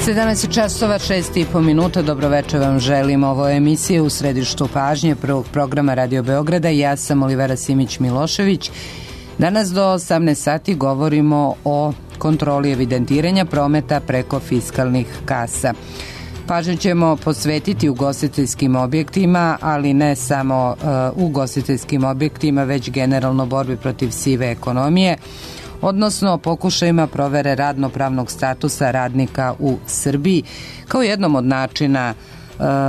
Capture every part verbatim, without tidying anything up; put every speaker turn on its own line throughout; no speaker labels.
sedamnaest časova šest i po minuta. Dobroveče vam želim. Ovo je emisija U središtu pažnje prvog programa Radio Beograda. Ja sam Olivera Simić-Milošević. Danas do osamnaest sati govorimo o kontroli evidentiranja prometa preko fiskalnih kasa. Pažnju ćemo posvetiti ugostiteljskim objektima, ali ne samo uh, ugostiteljskim objektima, već generalno borbi protiv sive ekonomije, odnosno pokušajima provere radno-pravnog statusa radnika u Srbiji, kao jednom od načina e,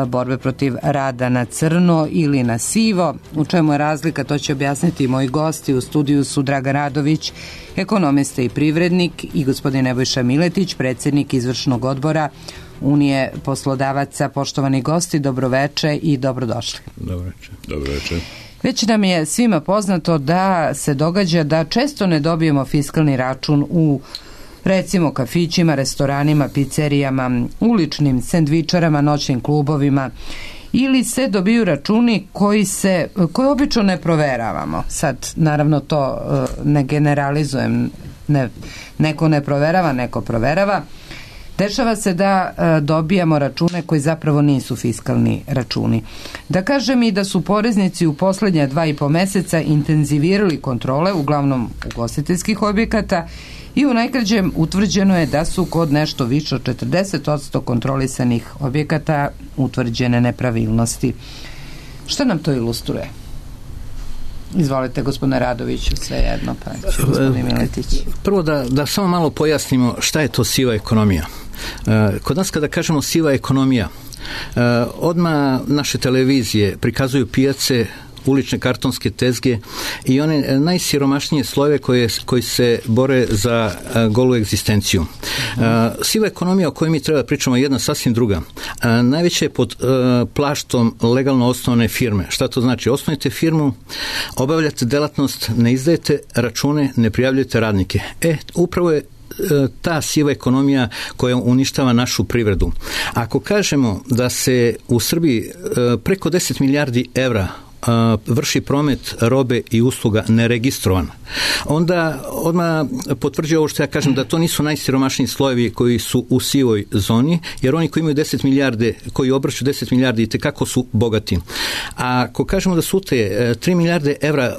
borbe protiv rada na crno ili na sivo. U čemu je razlika, to će objasniti moji gosti. U studiju su Dragan Radović, ekonomista i privrednik, i gospodin Nebojša Miletić, predsjednik izvršnog odbora Unije poslodavaca. Poštovani gosti, dobroveče i dobrodošli.
Dobroveče. Dobroveče.
Već nam je svima poznato da se događa da često ne dobijemo fiskalni račun u, recimo, kafićima, restoranima, pizzerijama, uličnim sendvičarama, noćnim klubovima, ili se dobiju računi koji se, koje obično ne proveravamo. Sad, naravno, to ne generalizujem, ne, neko ne proverava, neko proverava. Dešava se da e, dobijamo račune koji zapravo nisu fiskalni računi. Da kažem i da su poreznici u poslednja dva i po meseca intenzivirali kontrole, uglavnom ugostiteljskih objekata, i u najkraćem utvrđeno je da su kod nešto više od četrdeset posto kontrolisanih objekata utvrđene nepravilnosti. Šta nam to ilustruje? Izvolite, gospodine Radoviću, sve jedno, pa ću gospodin Miletić.
Prvo da, da samo malo pojasnimo šta je to siva ekonomija. Kod nas kada kažemo siva ekonomija, odmah naše televizije prikazuju pijace, ulične kartonske tezge i one najsiromašnije slojeve koje, koji se bore za golu egzistenciju. Uh, siva ekonomija o kojoj mi treba pričamo je jedna sasvim druga. Uh, najveće je pod uh, plaštom legalno osnovane firme. Šta to znači? Osnovite firmu, obavljate delatnost, ne izdajete račune, ne prijavljujete radnike. E, upravo je ta siva ekonomija koja uništava našu privredu. Ako kažemo da se u Srbiji preko deset milijardi evra vrši promet robe i usluga neregistrovan, onda odmah potvrđuje ovo što ja kažem, da to nisu najsiromašniji slojevi koji su u sivoj zoni, jer oni koji imaju deset milijarde, koji obrću deset milijardi, i tekako su bogati. A ako kažemo da su te tri milijarde evra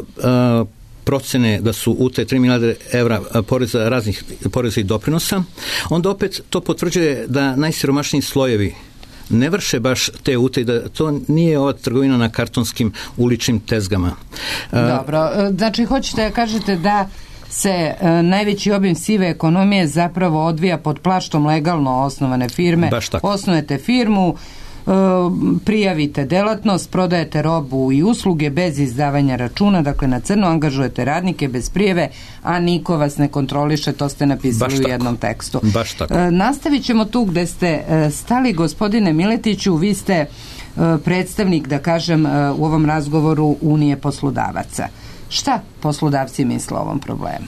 procene da su u te tri milijarde evra poreza, raznih poreza i doprinosa, onda opet to potvrđuje da najsiromašniji slojevi ne vrše baš te utaje, da to nije ova trgovina na kartonskim uličnim tezgama.
Dobro, znači hoćete da kažete da se e, najveći obim sive ekonomije zapravo odvija pod plaštom legalno osnovane firme. Osnujete firmu, e, prijavite delatnost, prodajete robu i usluge bez izdavanja računa, dakle na crno, angažujete radnike bez prijave, a niko vas ne kontroliše, to ste napisali baš u jednom tako. tekstu.
Baš tako.
E, nastavit ćemo tu gde ste e, stali, gospodine Miletiću. Vi ste e, predstavnik, da kažem, e, u ovom razgovoru Unije poslodavaca. Šta poslodavci misle o ovom problemu?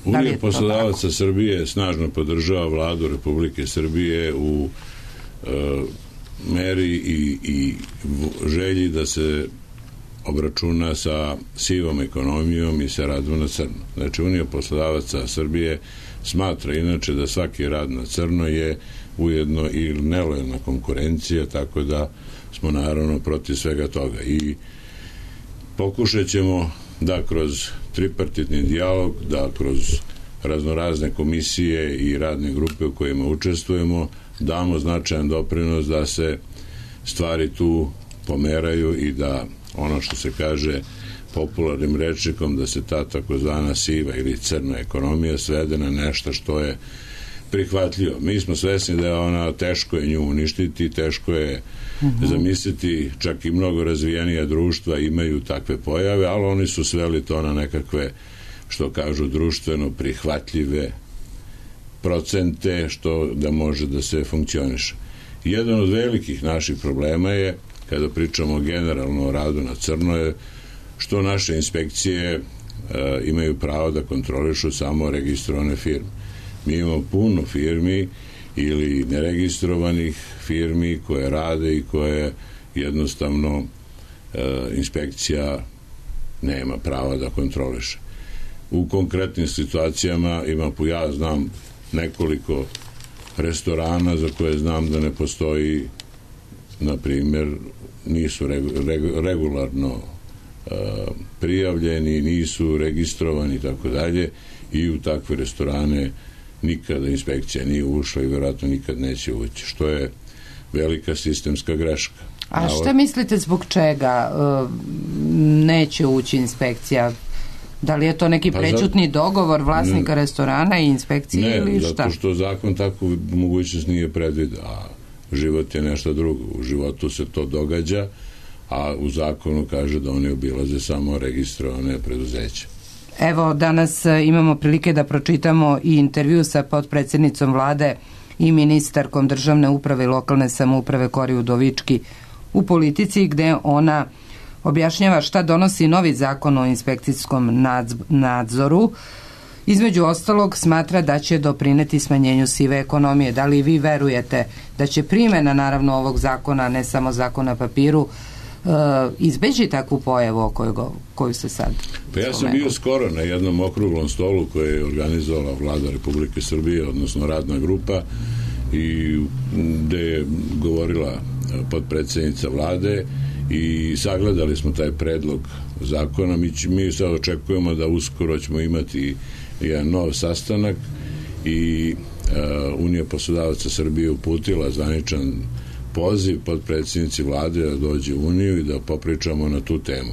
Unija poslodavaca Srbije snažno podržava vladu Republike Srbije u e, meri i, i želji da se obračuna sa sivom ekonomijom i sa radom na crno. Znači, Unija poslodavaca Srbije smatra inače da svaki rad na crno je ujedno i nelojalna konkurencija, tako da smo naravno protiv svega toga. I pokušat ćemo da kroz tripartitni dijalog, da kroz raznorazne komisije i radne grupe u kojima učestvujemo, damo značajan doprinos da se stvari tu pomeraju i da ono što se kaže popularnim rečnikom, da se ta takozvana siva ili crna ekonomija svede na nešto što je prihvatljivo. Mi smo svesni da je ona, teško je nju uništiti, teško je uh-huh. zamisliti, čak i mnogo razvijenija društva imaju takve pojave, ali oni su sveli to na nekakve, što kažu, društveno prihvatljive procente, što da može da se funkcioniše. Jedan od velikih naših problema je, kada pričamo generalno o radu na crno, je što naše inspekcije e, imaju pravo da kontrolišu samo registrovane firme. Mi imamo puno firmi ili neregistrovanih firmi koje rade i koje jednostavno e, inspekcija nema prava da kontroliše. U konkretnim situacijama ima, ja znam nekoliko restorana za koje znam da ne postoji, na primjer, nisu regularno prijavljeni, nisu registrovani i tako dalje, i u takve restorane nikada inspekcija nije ušla i vjerojatno nikad neće ući, što je velika sistemska greška.
A šta mislite zbog čega neće ući inspekcija? Da li je to neki prećutni dogovor vlasnika ne, restorana i inspekcije
ne,
ili šta?
Ne, zato što zakon takvu mogućnost nije predvidio, a život je nešto drugo. U životu se to događa, a u zakonu kaže da oni obilaze samo registrovane preduzeće.
Evo, danas imamo prilike da pročitamo i intervju sa potpredsjednicom vlade i ministarkom državne uprave i lokalne samouprave Kori Udovički u Politici, gde ona objašnjava šta donosi novi zakon o inspekcijskom nadzoru. Između ostalog, smatra da će doprineti smanjenju sive ekonomije. Da li vi verujete da će primjena, naravno, ovog zakona, ne samo zakon na papiru, izbeći takvu pojavu o kojoj, koju se sad
Pa ja sam bio skoro na jednom okruglom stolu koje je organizovala vlada Republike Srbije, odnosno radna grupa, i gde je govorila potpredsjednica vlade i sagledali smo taj predlog zakona. Mi, mi sad očekujemo da uskoro ćemo imati jedan nov sastanak i uh, Unija poslodavaca Srbije uputila zvaničan poziv potpredsjednici vlade da dođe u Uniju i da popričamo na tu temu.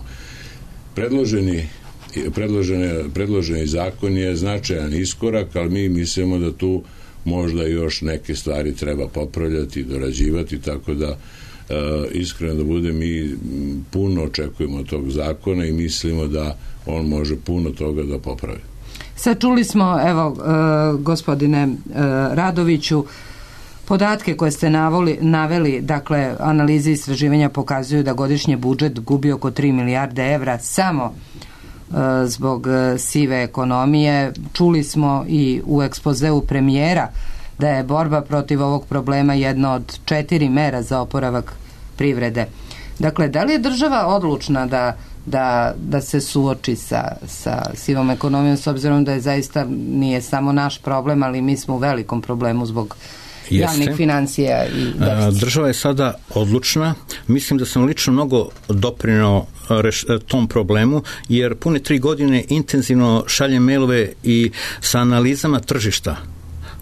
Predloženi, predloženi, predloženi zakon je značajan iskorak, ali mi mislimo da tu možda još neke stvari treba popravljati, dorađivati, tako da e, iskreno da bude, mi puno očekujemo od tog zakona i mislimo da on može puno toga da popravi.
Sad čuli smo, evo, e, gospodine e, Radoviću, podatke koje ste navoli, naveli, dakle, analize istraživanja pokazuju da godišnje budžet gubi oko tri milijarde evra samo e, zbog e, sive ekonomije. Čuli smo i u ekspozeu premijera da je borba protiv ovog problema jedna od četiri mera za oporavak privrede. Dakle, da li je država odlučna da, da, da se suoči sa, sa sivom ekonomijom, s obzirom da je zaista nije samo naš problem, ali mi smo u velikom problemu zbog javnih financija i deficita.
Država je sada odlučna. Mislim da sam lično mnogo doprineo tom problemu, jer pune tri godine intenzivno šaljem mailove i sa analizama tržišta.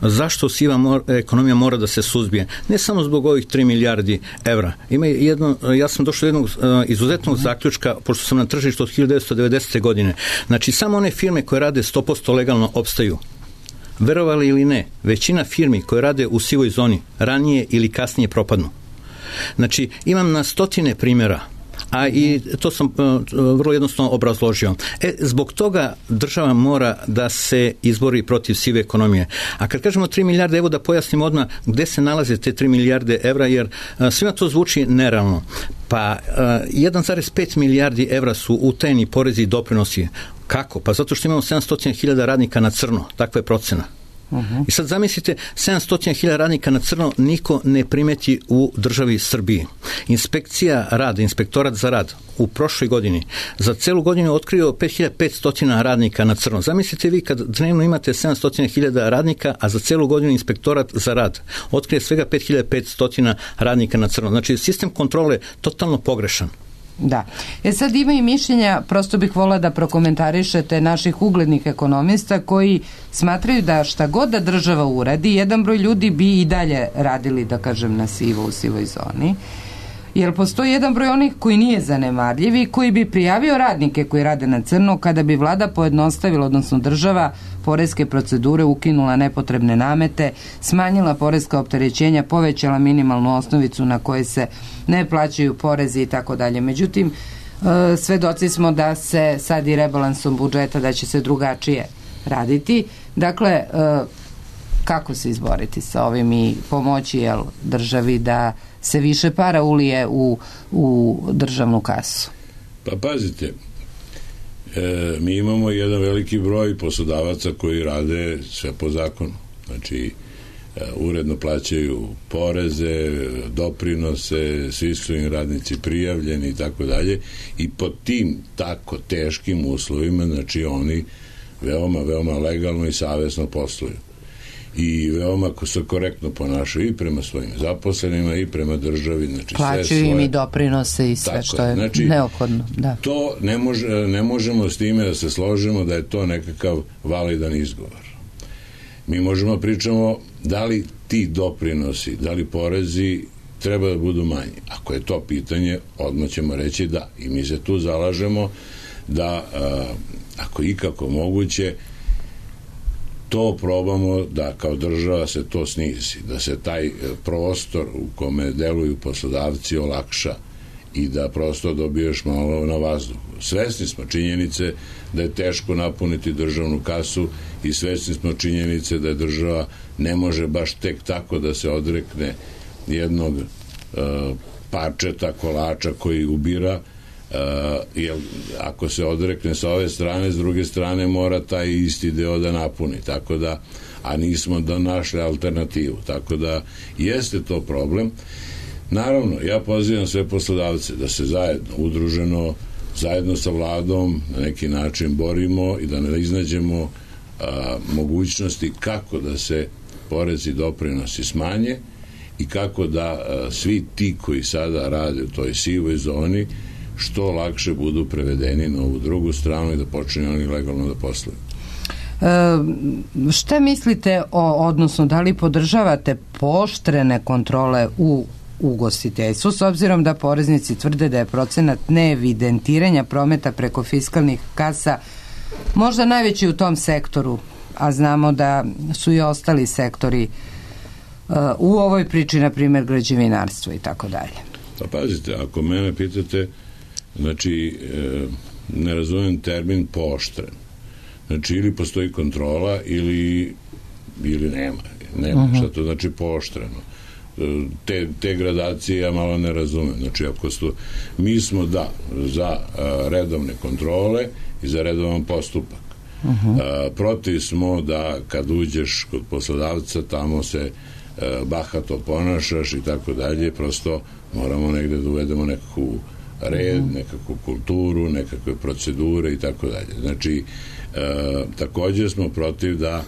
Zašto siva mor, ekonomija mora da se suzbije? Ne samo zbog ovih tri milijardi evra. Ima jedno, ja sam došao do jednog uh, izuzetnog zaključka, pošto sam na tržištu od hiljadu devetsto devedesete. godine. Znači, samo one firme koje rade sto posto legalno opstaju. Verovali ili ne, većina firmi koje rade u sivoj zoni ranije ili kasnije propadnu. Znači, imam na stotine primjera, a i to sam uh, vrlo jednostavno obrazložio. E, zbog toga država mora da se izbori protiv sive ekonomije. A kad kažemo tri milijarde, evo da pojasnim odmah gde se nalaze te tri milijarde evra, jer uh, svima to zvuči nerealno. Pa uh, jedan zarez pet milijardi evra su utajeni porezi i doprinosi. Kako? Pa zato što imamo sedamsto hiljada radnika na crno. Takva je procena. Uh-huh. I sad zamislite, sedamsto hiljada radnika na crno niko ne primeti u državi Srbiji. Inspekcija rada, inspektorat za rad u prošloj godini za celu godinu otkrio pet hiljada petsto radnika na crno. Zamislite vi kad dnevno imate sedamsto hiljada radnika, a za celu godinu inspektorat za rad otkrije svega pet hiljada petsto radnika na crno. Znači, sistem kontrole je totalno pogrešan.
Da. E sad ima i mišljenja, prosto bih volila da prokomentarišete naših uglednih ekonomista koji smatraju da šta god da država uradi, jedan broj ljudi bi i dalje radili, da kažem, na sivo, u sivoj zoni. Jer postoji jedan broj onih koji nije zanemarljiv i koji bi prijavio radnike koji rade na crno kada bi vlada pojednostavila, odnosno država, poreske procedure, ukinula nepotrebne namete, smanjila poreska opterećenja, povećala minimalnu osnovicu na koje se ne plaćaju porezi i tako dalje. Međutim, svedoci smo da se sad i rebalansom budžeta da će se drugačije raditi. Dakle, kako se izboriti sa ovim i pomoći jel, državi da se više para ulije u, u državnu kasu?
Pa pazite, e, mi imamo jedan veliki broj poslodavaca koji rade sve po zakonu. Znači, e, uredno plaćaju poreze, doprinose, svi su im radnici prijavljeni i tako dalje. I pod tim tako teškim uslovima, znači oni veoma, veoma legalno i savjesno posluju. i veoma se korektno ponašaju i prema svojim zaposlenima i prema državi. Znači,
plaćaju im i doprinose i sve tako što je znači, neophodno. Da.
To ne, može, ne možemo s time da se složimo da je to nekakav validan izgovor. Mi možemo pričamo da li ti doprinosi, da li porezi treba da budu manji. Ako je to pitanje, odmah ćemo reći da. I mi se tu zalažemo da, a, ako ikako moguće, to probamo da kao država se to snizi, da se taj prostor u kome deluju poslodavci olakša i da prosto dobiješ malo na vazduhu. Svesni smo činjenice da je teško napuniti državnu kasu i svesni smo činjenice da je država ne može baš tek tako da se odrekne jednog uh, parčeta, kolača koji ubira, uh, jer ako se odrekne sa ove strane, s druge strane mora taj isti deo da napuni, tako da, a nismo da našli alternativu, tako da jeste to problem. Naravno, ja pozivam sve poslodavce da se zajedno, udruženo, zajedno sa vladom na neki način borimo i da ne iznađemo a, mogućnosti kako da se porezi i doprinosi smanje i kako da a, svi ti koji sada rade u toj sivoj zoni što lakše budu prevedeni na ovu drugu stranu i da počinju oni legalno da posluju.
E, šta mislite o, odnosno da li podržavate pooštrene kontrole u ugostiteljstvu, s obzirom da poreznici tvrde da je procenat neevidentiranja prometa preko fiskalnih kasa možda najveći u tom sektoru, a znamo da su i ostali sektori uh, u ovoj priči, na primjer građevinarstvo i tako dalje.
Pa pazite, ako mene pitate, znači e, ne razumem termin pooštren. Znači ili postoji kontrola ili, ili nema. Nema. Uh-huh. Šta to znači pooštreno? Te, te gradacije ja malo ne razumem. Znači, ako stu, mi smo da za a, redovne kontrole i za redovan postupak. Uh-huh. A, protiv smo da kad uđeš kod poslodavca tamo se a, bahato ponašaš i tako dalje, prosto moramo negde da uvedemo nekakvu red, uh-huh. nekakvu kulturu, nekakve procedure i tako dalje. Znači, a, također smo protiv da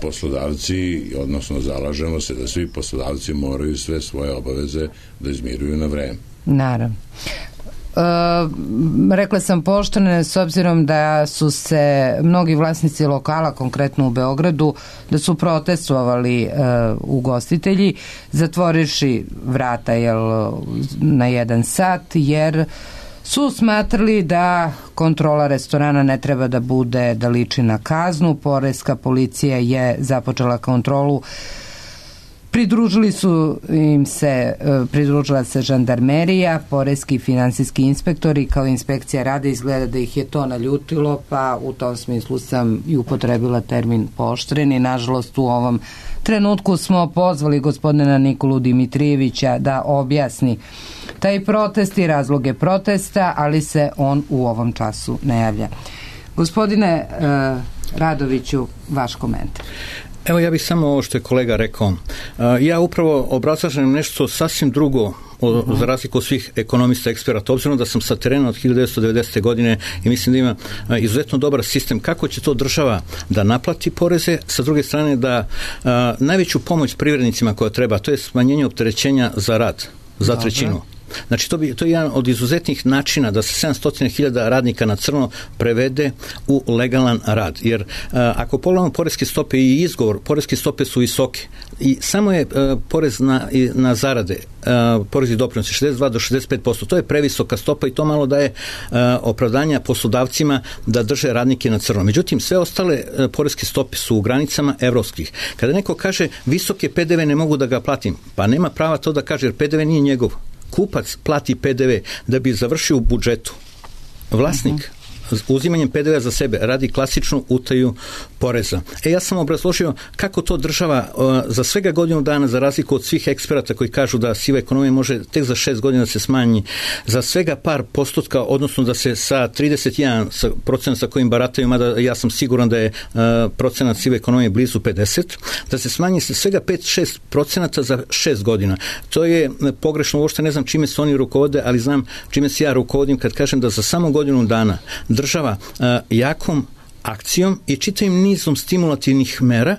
poslodavci, odnosno zalažemo se da svi poslodavci moraju sve svoje obaveze da izmiruju na vreme.
Naravno. E, rekla sam pooštrene s obzirom da su se mnogi vlasnici lokala, konkretno u Beogradu, da su protestovali e, ugostitelji, zatvorivši vrata jel, na jedan sat, jer su smatrali da kontrola restorana ne treba da bude, da liči na kaznu. Poreska policija je započela kontrolu. Pridružili su im se, pridružila se žandarmerija, poreski i finansijski inspektori, kao inspekcija rada. Izgleda da ih je to naljutilo, pa u tom smislu sam i upotrebila termin pooštreni. Nažalost, u ovom trenutku smo pozvali gospodina Nikolu Dimitrijevića da objasni taj protest i razloge protesta, ali se on u ovom času ne javlja. Gospodine uh, Radoviću, vaš komentar.
Evo, ja bih samo ovo što je kolega rekao. Ja upravo obrazlažem nešto sasvim drugo o, uh-huh. za razliku od svih ekonomista, eksperata, obzirom da sam sa terena od hiljadu devetsto devedesete. godine i mislim da ima izuzetno dobar sistem kako će to država da naplati poreze, sa druge strane da a, najveću pomoć privrednicima koja treba, to je smanjenje opterećenja za rad, za Dobre. trećinu. Znači, to, bi, to je jedan od izuzetnih načina da se sedamsto hiljada radnika na crno prevede u legalan rad. Jer a, ako pogledamo poreske stope i izgovor, poreske stope su visoke i samo je a, porez na, na zarade, a, porez i doprinosi šezdeset dva do šezdeset pet posto. To je previsoka stopa i to malo daje a, opravdanja poslodavcima da drže radnike na crno. Međutim, sve ostale a, poreske stope su u granicama evropskih. Kada neko kaže visoke P D V ne mogu da ga platim, pa nema prava to da kaže, jer P D V nije njegov. Kupac plati P D V da bi završio u budžetu. Vlasnik uh-huh. uzimanjem P D V-a za sebe radi klasičnu utaju poreza. E, ja sam obrazložio kako to država uh, za svega godinu dana, za razliku od svih eksperata koji kažu da siva ekonomija može tek za šest godina se smanji, za svega par postotka, odnosno da se sa trideset jedan procenata sa kojim barataju, mada ja sam siguran da je uh, procenat sive ekonomije blizu pedeset, da se smanji sa svega pet do šest procenata za šest godina. To je pogrešno, uopšte ne znam čime se oni rukovode, ali znam čime se ja rukovodim kad kažem da za samo godinu dana država uh, jakom akcijom i čitavim nizom stimulativnih mera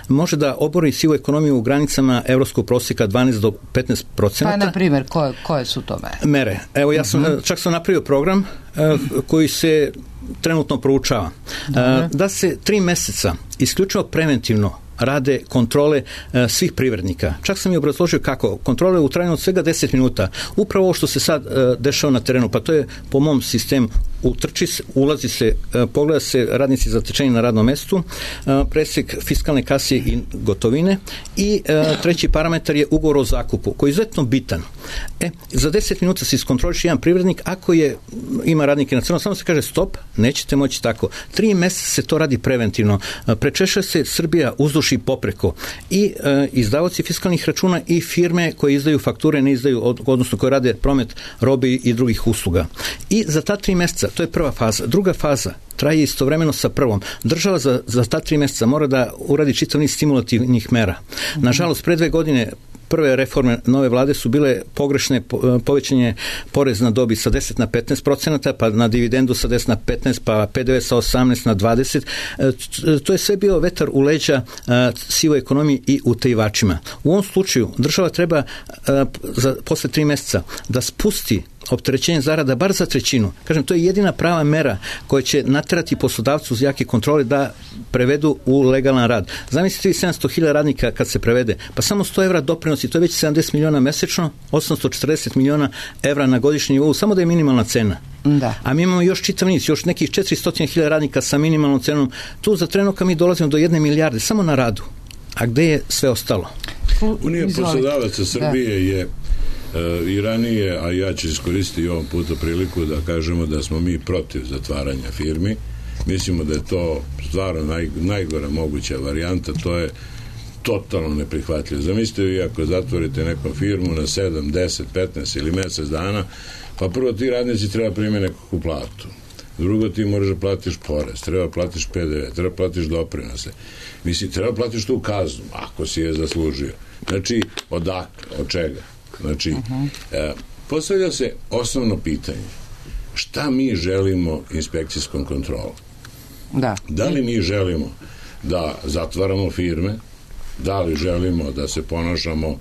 može da obori sivu ekonomiju u granicama evropskog prosjeka dvanaest do petnaest procenata.
Pa, na primjer, koje, koje su to mere?
Mere. Evo, ja sam, uh-huh. čak sam napravio program uh, koji se trenutno proučava. Uh, da se tri meseca isključivo preventivno rade kontrole e, svih privrednika. Čak sam i obrazložio kako. Kontrole u trajanju od svega deset minuta. Upravo ovo što se sad e, dešava na terenu, pa to je po mom sistemu. Utrči se, ulazi se, e, pogleda se radnici zatečeni na radnom mestu, e, presek fiskalne kase i gotovine i e, treći parametar je ugovor o zakupu, koji je izuzetno bitan. E, za deset minuta se iskontroliše jedan privrednik, ako je, ima radnike na crno, samo se kaže stop, nećete moći tako. Tri meseca se to radi preventivno. E, prečeša se Srbija uzduž i popreko i e, izdavaoci fiskalnih računa i firme koje izdaju fakture, ne izdaju, od, odnosno koje rade promet robe i drugih usluga. I za ta tri meseca, to je prva faza. Druga faza traje istovremeno sa prvom. Država za, za ta tri meseca mora da uradi čitav niz stimulativnih mera. Nažalost, pre dve godine prve reforme nove vlade su bile pogrešne, povećanje porez na dobit sa deset na petnaest procenata, pa na dividendu sa deset na petnaest, pa P D V sa osamnaest na dvadeset. To je sve bio vetar u leđa sivoj ekonomiji i utajivačima. U ovom slučaju država treba za, posle tri meseca da spusti opterećenje zarada bar za trećinu. Kažem, to je jedina prava mera koja će naterati poslodavcu uz jake kontrole da prevedu u legalan rad. Zamislite vi sedamsto hiljada radnika kad se prevede, pa samo sto evra doprinosi, to je već sedamdeset miliona mesečno, osamsto četrdeset miliona evra na godišnjem nivou, samo da je minimalna cena.
Da. A
mi imamo još čitav niz, još nekih četiristo hiljada radnika sa minimalnom cenom. Tu za trenutka mi dolazimo do jedne milijarde, samo na radu. A gde je sve ostalo?
Unija poslodavaca Srbije da. je i ranije, a ja ću iskoristiti ovom puta priliku da kažemo da smo mi protiv zatvaranja firmi. Mislimo da je to stvarno naj, najgora moguća varijanta, to je totalno neprihvatljivo. Zamislite vi ako zatvorite nekom firmu na sedam, deset, petnaest ili mesec dana, pa prvo ti radnici treba primiti nekakvu platu. Drugo, ti moraš da platiš porez, treba platiš P D V, treba platiš doprinose. Mislim, treba platiš tu kaznu, ako si je zaslužio. Znači, odakle, od čega? Znači, uh-huh. e, postavlja se osnovno pitanje. Šta mi želimo inspekcijskom kontrolom?
Da.
Da li mi želimo da zatvaramo firme? Da li želimo da se ponašamo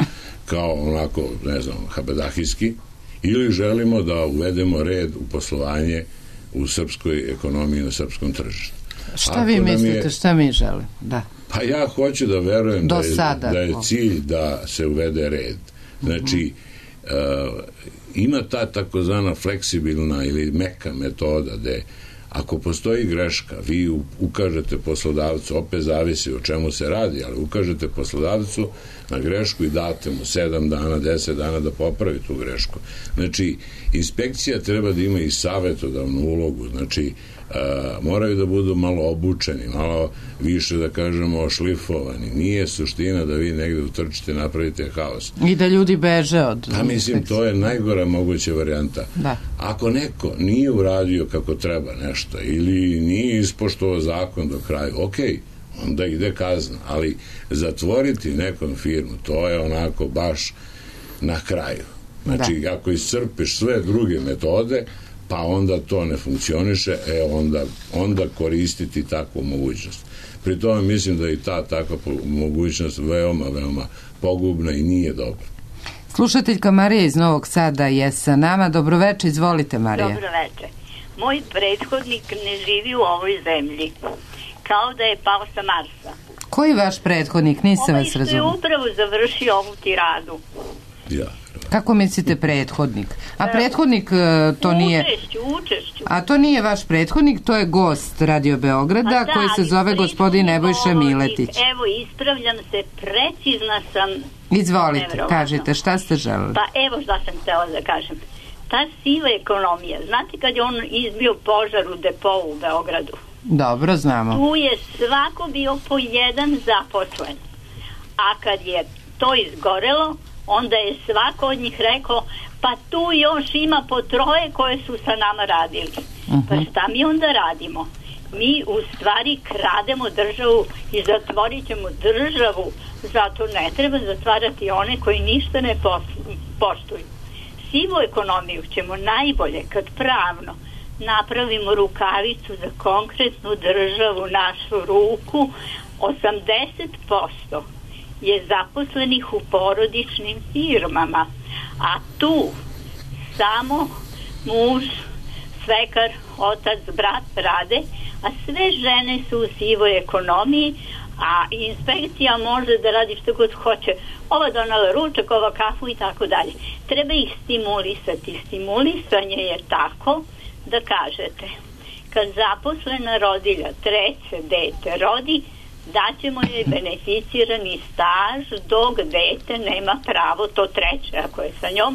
kao onako, ne znam, habedahijski? Ili želimo da uvedemo red u poslovanje u srpskoj ekonomiji, na srpskom tržištu?
Šta Ako vi mislite, je, šta mi želimo? Da.
Pa ja hoću da verujem
Do
da je,
sada.
da je cilj da se uvede red. Znači, uh, ima ta takozvana fleksibilna ili meka metoda gde ako postoji greška, vi ukažete poslodavcu, opet zavisi o čemu se radi, ali ukažete poslodavcu na grešku i date mu sedam dana, deset dana da popravi tu grešku. Znači, inspekcija treba da ima i savetodavnu ulogu, znači, Uh, moraju da budu malo obučeni, malo više da kažemo ošlifovani. Nije suština da vi negde utrčite, napravite haos.
I da ljudi beže od...
Pa mislim, to je najgora moguća varijanta.
Da.
Ako neko nije uradio kako treba nešto ili nije ispoštovao zakon do kraja, ok, onda ide kazna, ali zatvoriti nekom firmu, to je onako baš na kraju. Znači, da. Ako iscrpiš sve druge metode, pa onda to ne funkcioniše, e onda, onda koristiti takvu mogućnost. Pri tome mislim da je i ta takva mogućnost veoma, veoma pogubna i nije dobra.
Slušateljka Marija iz Novog Sada je sa nama. Dobroveče, izvolite Marija.
Dobroveče. Moj prethodnik ne živi u ovoj zemlji. Kao da je pao sa Marsa.
Koji vaš prethodnik? Nisam vas razumio.
Ovaj što je upravo završio ovu tiradu.
Ja.
Kako mislite prethodnik? A prethodnik to nije...
Učešću, učešću.
A to nije vaš prethodnik, to je gost Radio Beograda, da, koji se zove gospodin Nebojša Miletić.
Evo, ispravljam se, precizna sam.
Izvolite, kažite, šta ste želeli?
Pa evo šta sam htjela da kažem. Ta siva ekonomija, znate kad je on izbio požar u depovu u Beogradu?
Dobro, znamo.
Tu je svako bio po jedan zaposlen. A kad je to izgorelo, onda je svako od njih rekao, pa tu još ima po troje koje su sa nama radili. Uh-huh. Pa šta mi onda radimo? Mi u stvari krademo državu i zatvorit ćemo državu, zato ne treba zatvarati one koji ništa ne poštuju. Sivu ekonomiju ćemo najbolje kad pravno napravimo rukavicu za konkretnu državu, našu ruku, osamdeset posto je zaposlenih u porodičnim firmama, a tu samo muž, svekar, otac, brat rade, a sve žene su u sivoj ekonomiji, a inspekcija može da radi što god hoće. Ova donala ručak, ova kafu i tako dalje. Treba ih stimulisati. Stimulisanje je tako da kažete, kad zaposlena rodilja treće dete rodi, daćemo joj beneficirani staž dok dete nema pravo, to treće ako je sa njom,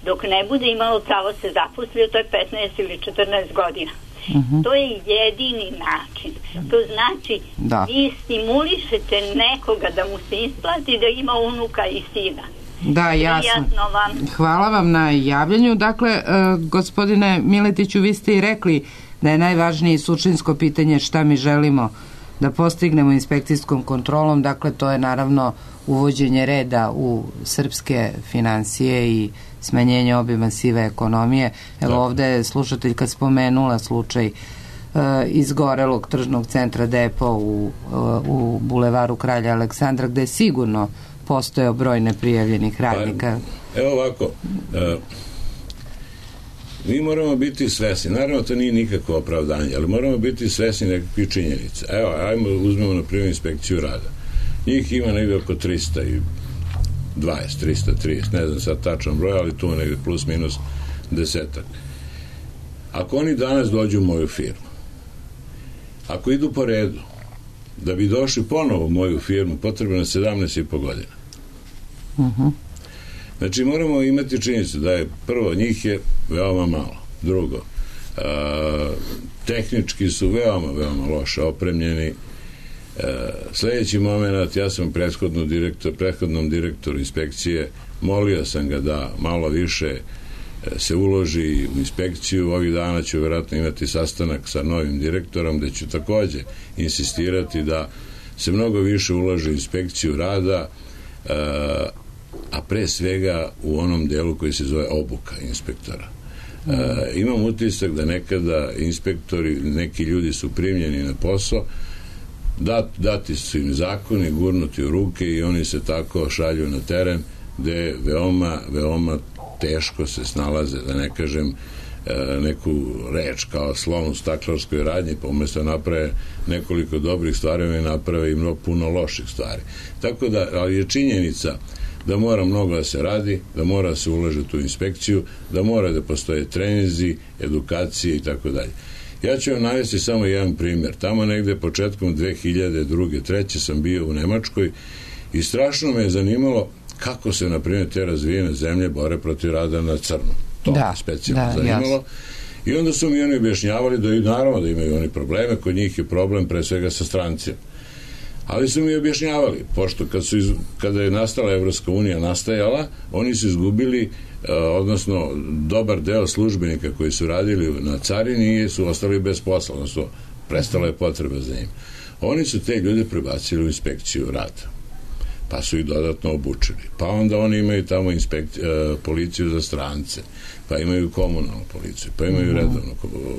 dok ne bude imalo pravo se zaposlio, to je petnaest ili četrnaest godina. Uh-huh. To je jedini način. To znači da vi stimulišete nekoga da mu se isplati da ima unuka i sina.
Da, jasno. Vam. Hvala vam na javljanju. Dakle, e, gospodine Miletiću, vi ste i rekli da je najvažnije suštinsko pitanje šta mi želimo da postignemo inspekcijskom kontrolom. Dakle, to je naravno uvođenje reda u srpske finansije i smanjenje obima sive ekonomije. Evo, da. Ovde je slušateljka spomenula slučaj e, izgorelog tržnog centra Depo u, u bulevaru Kralja Aleksandra, gde je sigurno postojao broj neprijavljenih radnika.
Pa, evo ovako, e, mi moramo biti svesni, naravno to nije nikakvo opravdanje, ali moramo biti svesni nekakvih činjenica. Evo, ajmo, uzmemo na primjer inspekciju rada. Njih ima negde oko trista dvadeset, trista trideset, ne znam sad tačan broj, ali tu negde plus minus desetak. Ako oni danas dođu u moju firmu, ako idu po redu, da bi došli ponovo u moju firmu, potrebno je sedamnaest i po godina. Uh-huh. Znači, moramo imati činjenicu da je, prvo, njih je veoma malo. Drugo, a, tehnički su veoma, veoma loše opremljeni. E, sljedeći moment, ja sam prethodno direktor, prethodnom direktoru inspekcije, molio sam ga da malo više e, se uloži u inspekciju. Ovih dana ću vjerojatno imati sastanak sa novim direktorom, gde ću takođe insistirati da se mnogo više ulaže u inspekciju rada, e, a pre svega u onom delu koji se zove obuka inspektora. E, imam utisak da nekada inspektori, neki ljudi su primljeni na posao, Dat, dati su im zakoni, gurnuti u ruke i oni se tako šalju na teren gde veoma, veoma teško se snalaze, da ne kažem e, neku reč kao slon u staklarskoj radnji, pa umesto naprave nekoliko dobrih stvari, oni naprave i mnogo puno loših stvari. Tako da, ali je činjenica da mora mnogo da se radi, da mora da se ulaže u inspekciju, da mora da postoje treninzi, edukacije i tako dalje. Ja ću vam navesti samo jedan primjer. Tamo negde početkom dve hiljade druge treće sam bio u Nemačkoj i strašno me je zanimalo kako se, na primjer, te razvijene zemlje bore protiv rada na crno. To da, me specijalno da, zanimalo. Jasno. I onda su mi oni objašnjavali da i naravno da imaju oni probleme, kod njih je problem pre svega sa strancima. Ali su mi objašnjavali, pošto kad su iz, kada je nastala Evropska unija nastajala, oni su izgubili, odnosno dobar deo službenika koji su radili na carini su ostali bez posla, odnosno prestala je potreba za njim. Oni su te ljude prebacili u inspekciju rada, pa su ih dodatno obučili. Pa onda oni imaju tamo inspekci, policiju za strance, pa imaju komunalnu policiju, pa imaju redovnu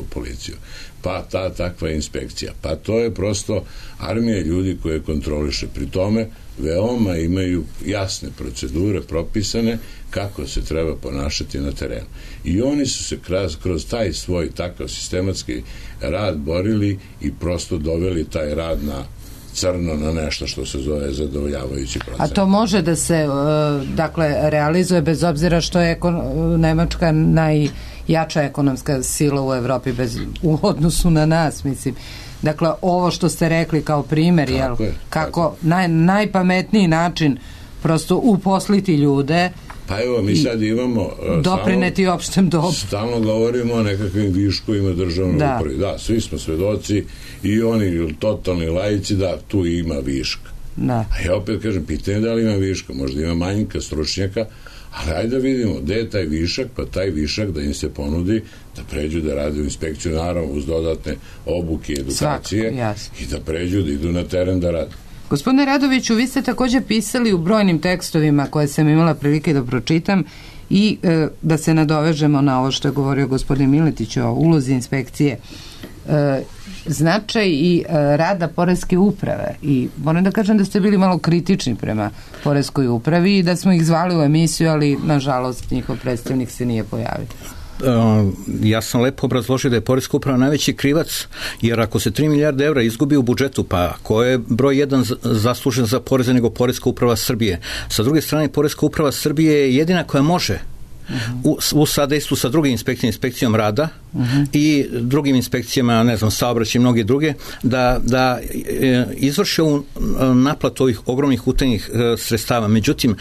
policiju, pa ta takva inspekcija. Pa to je prosto armija ljudi koje kontroliše. Pri tome veoma imaju jasne procedure propisane kako se treba ponašati na terenu. I oni su se kroz, kroz taj svoj takav sistematski rad borili i prosto doveli taj rad na crno, na nešto što se zove zadovoljavajući proces.
A to može da se dakle realizuje bez obzira što je ekon, Nemačka najjača ekonomska sila u Evropi bez, u odnosu na nas, mislim. Dakle, ovo što ste rekli kao primer, jel, je, kako naj, najpametniji način prosto uposliti ljude.
Pa evo, mi sad imamo
doprineti stalno, opštem dobru.
Stalno govorimo o nekakvim viškovima državnog da. upravi. Da, svi smo svedoci i oni totalni laici da tu ima viška. Da. A ja opet kažem, pitanje da li ima viška, možda ima manjka stručnjaka, ali ajde da vidimo gde je taj višak, pa taj višak da im se ponudi da pređu da rade u inspekciju, naravno uz dodatne obuke i edukacije. Svako, i da pređu da idu na teren da rade.
Gospodine Radoviću, vi ste također pisali u brojnim tekstovima koje sam imala prilike da pročitam i e, da se nadovežemo na ovo što je govorio gospodin Miletić o ulozi inspekcije. E, značaj i uh, rada poreske uprave i moram da kažem da ste bili malo kritični prema poreskoj upravi i da smo ih zvali u emisiju, ali nažalost njihov predstavnik se nije pojavio.
Ja sam lepo obrazložio da je poreska uprava najveći krivac, jer ako se tri milijarde evra izgubi u budžetu, pa ko je broj jedan zaslužen za poreze nego poreska uprava Srbije? Sa druge strane, poreska uprava Srbije je jedina koja može u, u sadejstvu sa drugim inspekcijama, inspekcijom rada uh-huh. i drugim inspekcijama, ne znam, saobraćaj i mnoge druge, da, da e, izvrše ovu naplatu ovih ogromnih utajnih e, sredstava. Međutim, e,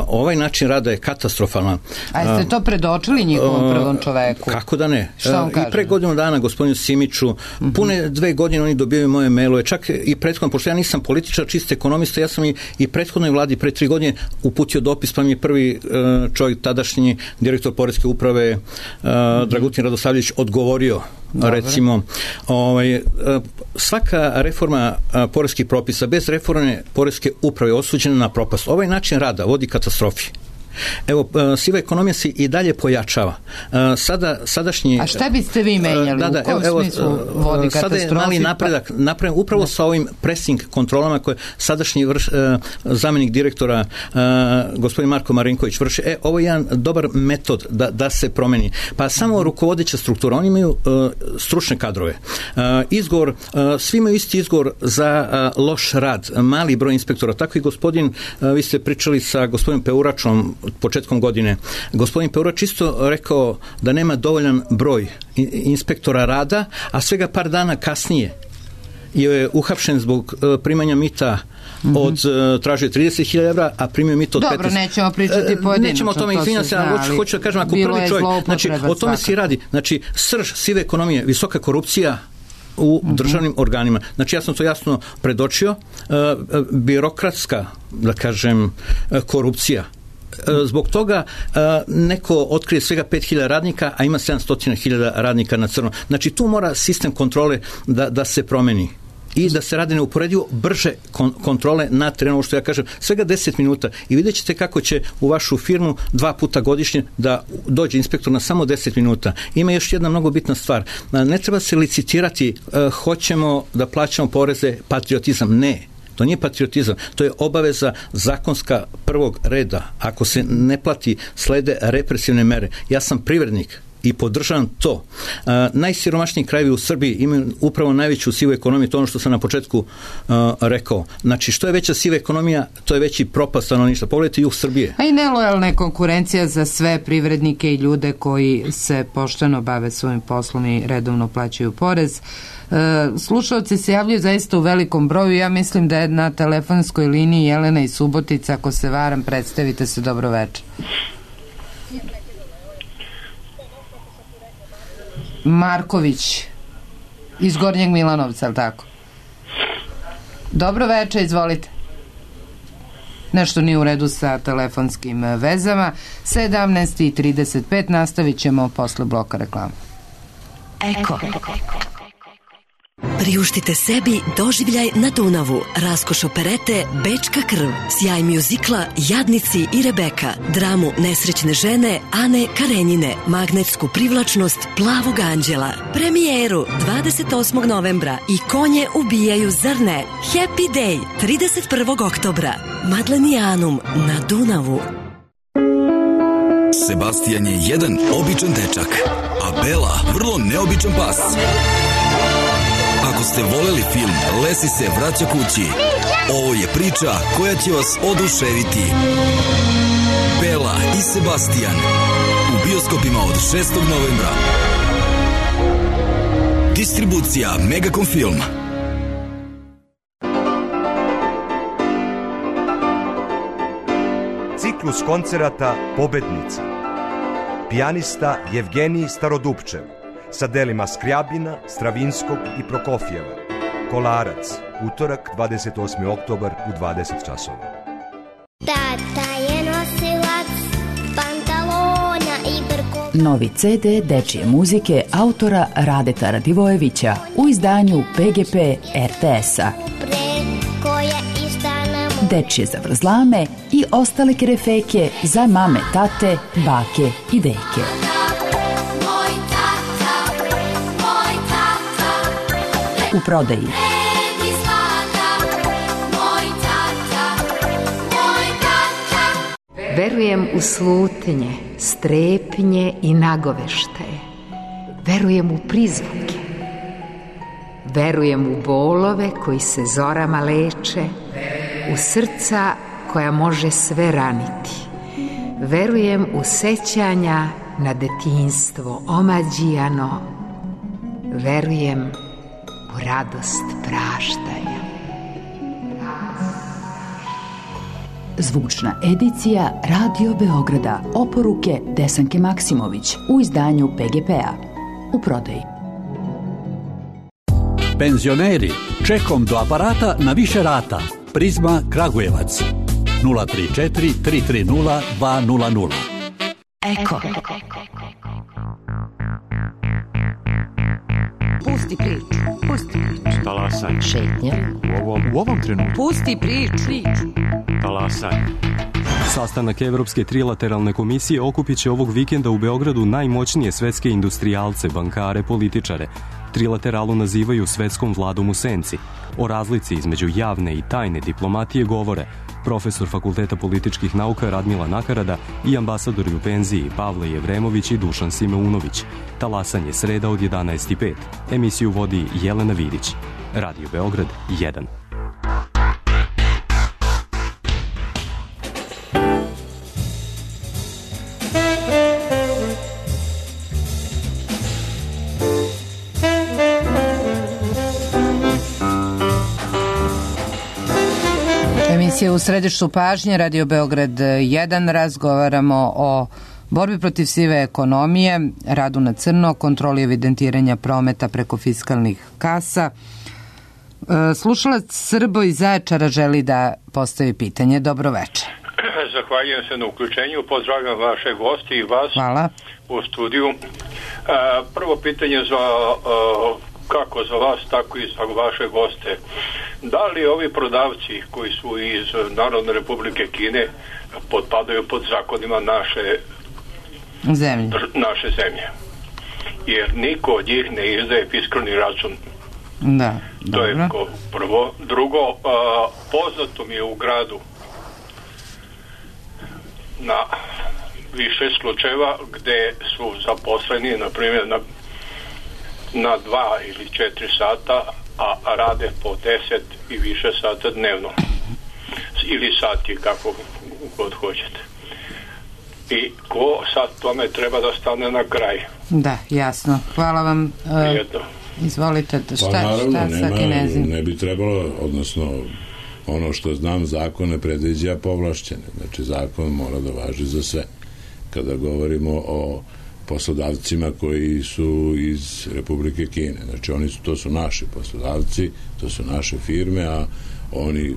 ovaj način rada je katastrofalan.
A jeste to predočili njihovom prvom čoveku?
Kako da ne?
Šta on kaže?
I pre godinu dana gospodinu Simiću, uh-huh. pune dve godine oni dobijaju moje mailove, čak i prethodno, pošto ja nisam političar, čist ekonomista, ja sam i, i prethodnoj vladi pre tri godine uputio dopis, pa mi je prvi e, čovjek tadašnji direktor poreske uprave uh, Dragutin Radosavljević odgovorio. Dobre. Recimo, ovaj, svaka reforma uh, poreskih propisa bez reforme poreske uprave je osuđena na propast. Ovaj način rada vodi katastrofi. Evo, siva ekonomija se i dalje pojačava. Sada, sadašnji...
A šta biste vi menjali?
Da, da,
u kom
evo,
smislu vodi katastrofi?
Sada je mali napredak napravljen upravo da. sa ovim pressing kontrolama koje sadašnji vrš, zamjenik direktora gospodin Marko Marinković vrši. E, ovo je jedan dobar metod da, da se promeni. Pa samo rukovodeća struktura, oni imaju stručne kadrove. Izgovor, svi imaju isti izgovor za loš rad, mali broj inspektora. Tako i gospodin, vi ste pričali sa gospodinom Peuračom početkom godine. Gospodin Peurač isto rekao da nema dovoljan broj inspektora rada, a svega par dana kasnije je uhapšen zbog primanja mita od mm-hmm. tražio trideset hiljada evra, a primio mito od
Dobro,
petnaest.
Dobro, nećemo pričati pojedinačno.
Nećemo o tome, izvinjam se, ali hoću da kažem, ako prvi čovjek, znači, o tome se radi. Znači, srž sive ekonomije, visoka korupcija u uh-huh. državnim organima. Znači, ja sam to jasno predočio. Uh, birokratska, da kažem, uh, korupcija. Zbog toga neko otkrije svega pet hiljada radnika, a ima sedamsto hiljada radnika na crno. Znači tu mora sistem kontrole da, da se promeni i da se radi neuporedivo brže kon- kontrole na terenu, što ja kažem, svega deset minuta i vidjet ćete kako će u vašu firmu dva puta godišnje da dođe inspektor na samo deset minuta. Ima još jedna mnogo bitna stvar. Ne treba se licitirati, hoćemo da plaćamo poreze, patriotizam. Ne. To nije patriotizam, to je obaveza zakonska prvog reda. Ako se ne plati, slede represivne mere. Ja sam privrednik i podržavam to. Uh, najsiromašniji krajevi u Srbiji imaju upravo najveću sivu ekonomiju, to ono što sam na početku uh, rekao. Znači, što je veća siva ekonomija, to je veći propast stanovništva. Pogledajte jug Srbije.
A i nelojalna konkurencija za sve privrednike i ljude koji se pošteno bave svojim poslom i redovno plaćaju porez. Uh, slušalci se javljaju zaista u velikom broju. Ja mislim da je na telefonskoj liniji Jelena iz Subotica. Ako se varam, predstavite se, dobro večer. Marković iz Gornjeg Milanovca, ali tako? Dobro večer, izvolite. Nešto nije u redu sa telefonskim vezama. sedamnaest i trideset pet, nastavit ćemo posle bloka reklama.
Eko. Priuštite sebi doživljaj na Dunavu, raskoš operete Bečka krv, sjaj mjuzikla Jadnici i Rebeka, dramu nesrećne žene Ane Karenjine, magnetsku privlačnost Plavog anđela, premijeru dvadeset osmog novembra i Konje ubijaju zrne, Happy Day trideset prvog oktobra, Madlenijanum na Dunavu.
Sebastian je jedan običan dečak, a Bela vrlo neobičan pas. Ako ste voleli film Lesi se vraća kući, ovo je priča koja će vas oduševiti. Bela i Sebastian u bioskopima od šestog novembra. Distribucija Megacom Film.
Ciklus koncerata Pobednica. Pijanista Jevgenij Starodupčev sa delima Skrjabina, Stravinskog i Prokofjeva. Kolarac, utorak, dvadeset osmi oktobar u dvadeset časova.
Tata je nosilac pantalona i brko...
Novi ce de dečije muzike autora Radeta Radivojevića u izdanju pe ge pe er te es-a. Dečije zavrzlame i ostale kerefeke za mame, tate, bake i deke. u prodaji.
Verujem u slutnje, strepnje i nagoveštaje. Verujem u prizvuke. Verujem u bolove koji se zorama leče, u srca koja može sve raniti. Verujem u sećanja na detinjstvo omađijano. Verujem u radost praštanja.
Zvučna edicija Radio Beograda. Oporuke Desanke Maksimović u izdanju P G P-a. U prodaji.
Penzioneri, čekom do aparata na više rata. Prizma Kragujevac. nula tri četiri tri tri nula dva nula nula.
Eko.
Pusti priču. Pusti priču.
Talasaj.
Šetnja.
U ovom, u ovom trenutku.
Pusti priču.
Talasaj. Sastanak Evropske trilateralne komisije okupit će ovog vikenda u Beogradu najmoćnije svetske industrijalce, bankare, političare. Trilateralu nazivaju svetskom vladom u senci. O razlici između javne i tajne diplomatije govore profesor Fakulteta političkih nauka Radmila Nakarada i ambasadori u penziji Pavle Jevremović i Dušan Simeunović. Talasanje sreda od jedanaest i pet. Emisiju vodi Jelena Vidić. Radio Beograd jedan.
Emisija u središtu pažnje, Radio Beograd jedan, razgovaramo o borbi protiv sive ekonomije, radu na crno, kontroli evidentiranja prometa preko fiskalnih kasa. Slušalac Srbo iz Zaječara želi da postavi pitanje. Dobro večer.
Zahvaljujem se na uključenju, pozdravljam vaše gosti i vas.
Hvala.
U studiju. Prvo pitanje za kako za vas, tako i za vaše goste. Da li ovi prodavci koji su iz Narodne Republike Kine potpadaju pod zakonima naše
zemlje?
Naše zemlje. Jer niko od njih ne izdaje fiskalni račun.
Da,
to
dobro.
je prvo. Drugo, a, poznato mi je u gradu na više slučajeva gde su zaposleni, na primjer, na, na dva ili četiri sata, a rade po deset i više sata dnevno. Ili sati, kako god hoćete. I ko sad tome treba da stane na kraj?
Da, jasno. Hvala vam.
Prijedno.
Izvolite, šta,
pa naravno,
šta
nema,
sa Kinezim?
ne bi trebalo, odnosno ono što znam, zakon ne predviđa povlašćene. Znači, zakon mora da važi za sve. Kada govorimo o poslodavcima koji su iz Republike Kine. Znači, oni su, to su naši poslodavci, to su naše firme, a oni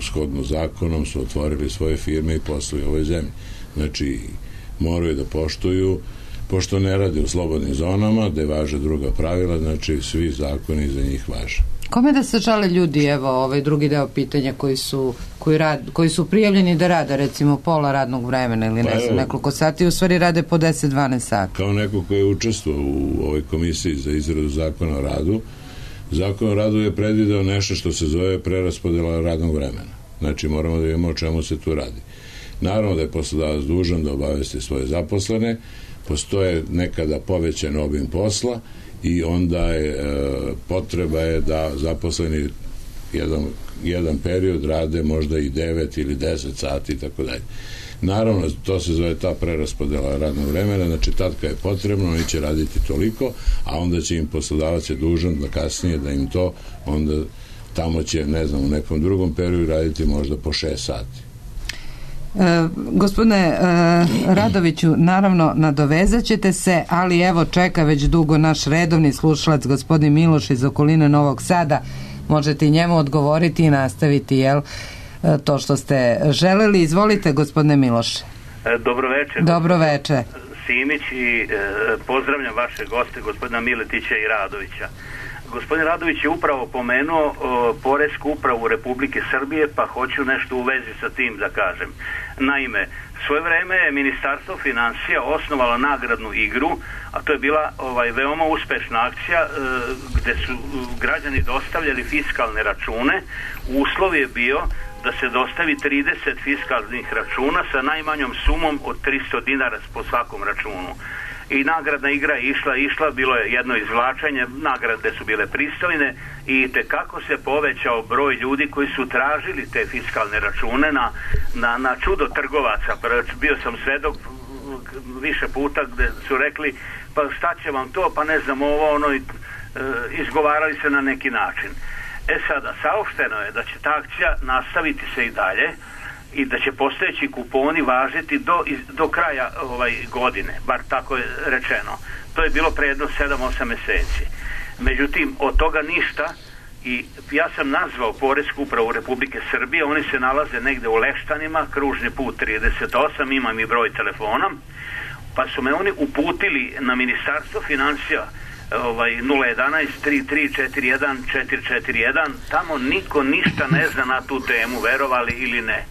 shodno zakonom su otvorili svoje firme i posluju u ovoj zemlji. Znači, moraju da poštuju, pošto ne rade u slobodnim zonama, gde važe druga pravila, znači svi zakoni za njih važe.
Kome da se žale ljudi, evo, ovaj drugi deo pitanja koji su, koji, rad, koji su prijavljeni da rade, recimo pola radnog vremena ili ne pa znam, nekoliko sati, u stvari rade po deset do dvanaest sati.
Kao neko koji je učestvovao u ovoj komisiji za izradu zakona o radu, zakon o radu je predvideo nešto što se zove preraspodela radnog vremena. Znači, moramo da vidimo o čemu se tu radi. Naravno da je poslodavac dužan da obavesti svoje zaposlene, postoje nekada povećan obim posla i onda je e, potreba je da zaposleni jedan, jedan period rade možda i devet ili deset sati i tako dalje. Naravno, to se zove ta preraspodela radnog vremena, znači tad kad je potrebno, oni će raditi toliko, a onda će im poslodavac je dužan da kasnije da im to, onda tamo će, ne znam, u nekom drugom periodu raditi možda po šest sati.
E, gospodine e, Radoviću, naravno nadovezat ćete se, ali evo čeka već dugo naš redovni slušalac gospodin Miloš iz okoline Novog Sada. Možete i njemu odgovoriti i nastaviti, jel, to što ste želeli. Izvolite, gospodine Miloše.
Dobro večer.
Dobro večer.
Simić i e, pozdravljam vaše goste, gospodina Miletića i Radovića. gospodin Radović je upravo pomenuo o, Poresku upravu Republike Srbije, pa hoću nešto u vezi sa tim da kažem. Naime, svoje vreme je Ministarstvo financija osnovalo nagradnu igru, a to je bila ovaj, veoma uspešna akcija e, gde su građani dostavljali fiskalne račune. Uslov je bio da se dostavi trideset fiskalnih računa sa najmanjom sumom od tristo dinara po svakom računu. I nagradna igra je išla, išla, bilo je jedno izvlačenje, nagrade su bile pristojne i tekako se povećao broj ljudi koji su tražili te fiskalne račune na, na, na čudo trgovaca. Bio sam svedok više puta gde su rekli pa šta će vam to, pa ne znam ovo, ono, i, e, izgovarali se na neki način. E sada, saopšteno je da će ta akcija nastaviti se i dalje i da će postojeći kuponi važiti do, do kraja ovaj, godine, bar tako je rečeno. To je bilo pre jedno sedam osam meseci. Međutim, od toga ništa i ja sam nazvao Poresku upravu Republike Srbije, oni se nalaze negde u Leštanima, kružni put trideset osam, imam i broj telefona, pa su me oni uputili na Ministarstvo financija ovaj, nula jedanaest tri tri četiri jedan četiri četiri jedan, tamo niko ništa ne zna na tu temu, verovali ili ne.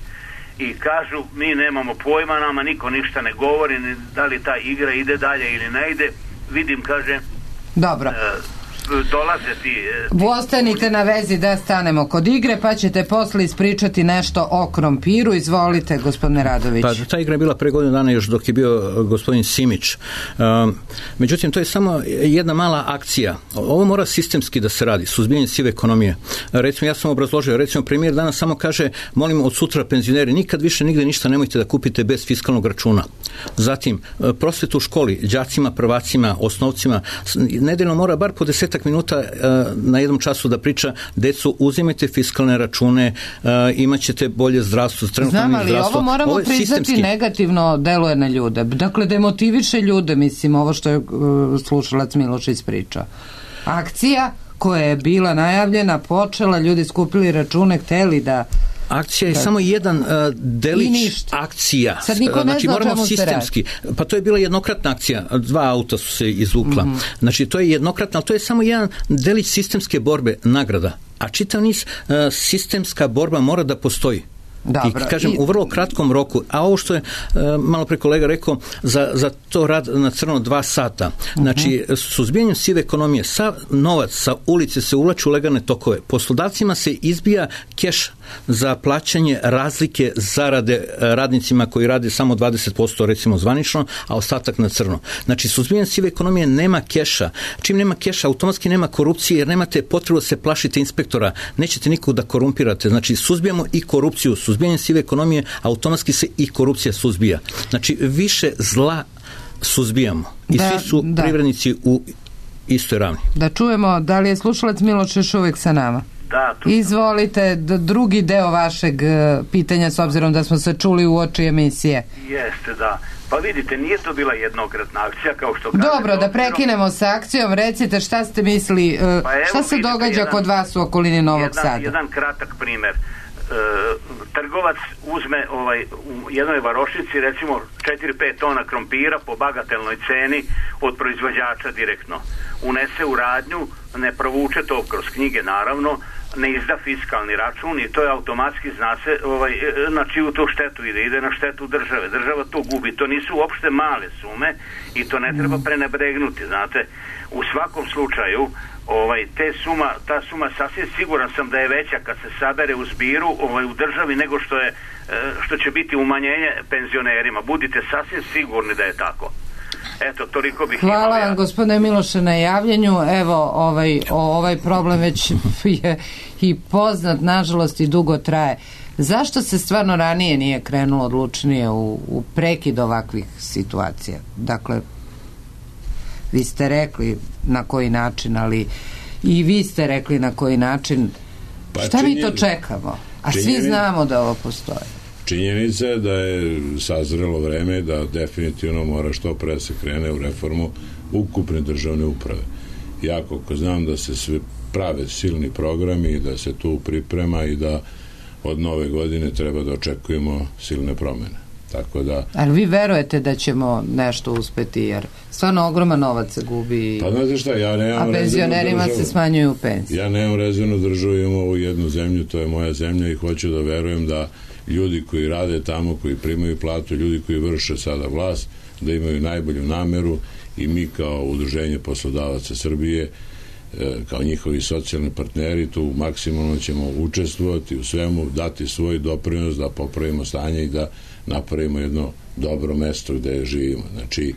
I kažu, mi nemamo pojma, nama niko ništa ne govori, ni da li ta igra ide dalje ili ne ide. Vidim, kaže,
dobro.
E, dolaze ti... E,
Ostanite na vezi da stanemo kod igre, pa ćete posle ispričati nešto o krompiru. Izvolite, gospodine Radović.
Pa ta igra je bila pre godinu dana još dok je bio gospodin Simić. Um, međutim, to je samo jedna mala akcija. Ovo mora sistemski da se radi, suzbijanje sive ekonomije. Recimo, ja sam obrazložio, recimo, premijer danas samo kaže, molim od sutra penzioneri, nikad više nigde ništa nemojte da kupite bez fiskalnog računa. Zatim, prosvetu u školi, đacima, prvacima, osnovcima, nedeljno mora bar po desetak minuta uh, na jednom času da priča, decu, uzimajte fiskalne račune, uh, imat ćete bolje zdravstvo, trenutno
Znam, ali
zdravstvo.
ovo moramo
ovo
priznati
sistemski.
Negativno deluje na ljude. Dakle, demotiviše ljude, mislim, ovo što je uh, slušalac Miloš ispričao. Akcija koja je bila najavljena, počela, ljudi skupili račune, hteli da
Akcija je da. samo jedan uh, delić akcija.
Sad niko ne
znači,
zna
moramo sistemski. Pa to je bila jednokratna akcija. Dva auta su se izvukla. Mm-hmm. Znači, to je jednokratna, ali to je samo jedan delić sistemske borbe, nagrada. A čitav niz uh, sistemska borba mora da postoji. Dobro. I kažem, I... u vrlo kratkom roku, a ovo što je uh, malo pre kolega rekao, za, za to rad na crno dva sata. Znači, uh-huh. suzbijanjem sive ekonomije, sav novac sa ulice se ulači u legalne tokove. Poslodavcima se izbija keš za plaćanje razlike zarade radnicima koji rade samo dvadeset posto recimo zvanično, a ostatak na crno. Znači, suzbijanjem sive ekonomije nema keša. Čim nema keša, automatski nema korupcije, jer nemate potrebu da se plašite inspektora. Nećete nikog da korumpirate. Znači, suzbijamo i korupciju, suzbijanjem sive ekonomije, automatski se i korupcija suzbija. Znači, više zla suzbijamo. I da, svi su da. privrednici u istoj ravni.
Da čujemo, da li je slušalac Miloš još uvek sa nama?
Da,
izvolite, drugi deo vašeg pitanja, s obzirom da smo se čuli u oči emisije.
Jeste, da. Pa vidite, nije to bila jednokratna akcija, kao što kaže.
Dobro, da prekinemo sa akcijom, recite šta ste mislili, pa evo, šta se događa jedan, kod vas u okolini Novog
jedan,
Sada?
Jedan kratak primer. E, trgovac uzme ovaj, u jednoj varošici recimo četiri pet tona krompira po bagatelnoj ceni od proizvođača direktno. Unese u radnju, ne provuče to kroz knjige naravno, ne izda fiskalni račun i to je automatski, zna se ovaj, na čiju to štetu ide, ide na štetu države. Država to gubi, to nisu uopšte male sume i to ne treba prenebregnuti, znate. U svakom slučaju, ovaj, te suma, ta suma sasvim siguran sam da je veća kad se sabere u zbiru ovaj, u državi nego što je, što će biti umanjenje penzionerima. Budite sasvim sigurni da je tako. Eto, toliko bih
Hvala
imao
vam,
ja.
gospodine Miloše, na javljanju. Evo, ovaj, ovaj problem već je i poznat, nažalost, i dugo traje. Zašto se stvarno ranije nije krenulo odlučnije u, u prekid ovakvih situacija? Dakle, vi ste rekli na koji način, ali i vi ste rekli na koji način. Pa šta činjen... mi to čekamo? A činjen... svi znamo da ovo postoji.
Činjenica je da je sazrelo vreme da definitivno mora što pre se krene u reformu ukupne državne uprave. Ja koliko znam da se sve prave silni programi i da se tu priprema i da od nove godine treba da očekujemo silne promene. Tako da...
Ali vi verujete da ćemo nešto uspeti, jer stvarno ogroman novac se gubi,
pa, znate šta, ja nemam,
a penzionerima se smanjuju penzije.
Ja nemam rezervnu državu, imam ovu jednu zemlju, to je moja zemlja i hoću da verujem da ljudi koji rade tamo, koji primaju platu, ljudi koji vrše sada vlast, da imaju najbolju nameru i mi kao Udruženje poslodavaca Srbije, kao njihovi socijalni partneri, tu maksimalno ćemo učestvovati u svemu, dati svoj doprinos da popravimo stanje i da napravimo jedno dobro mesto gde živimo. Znači,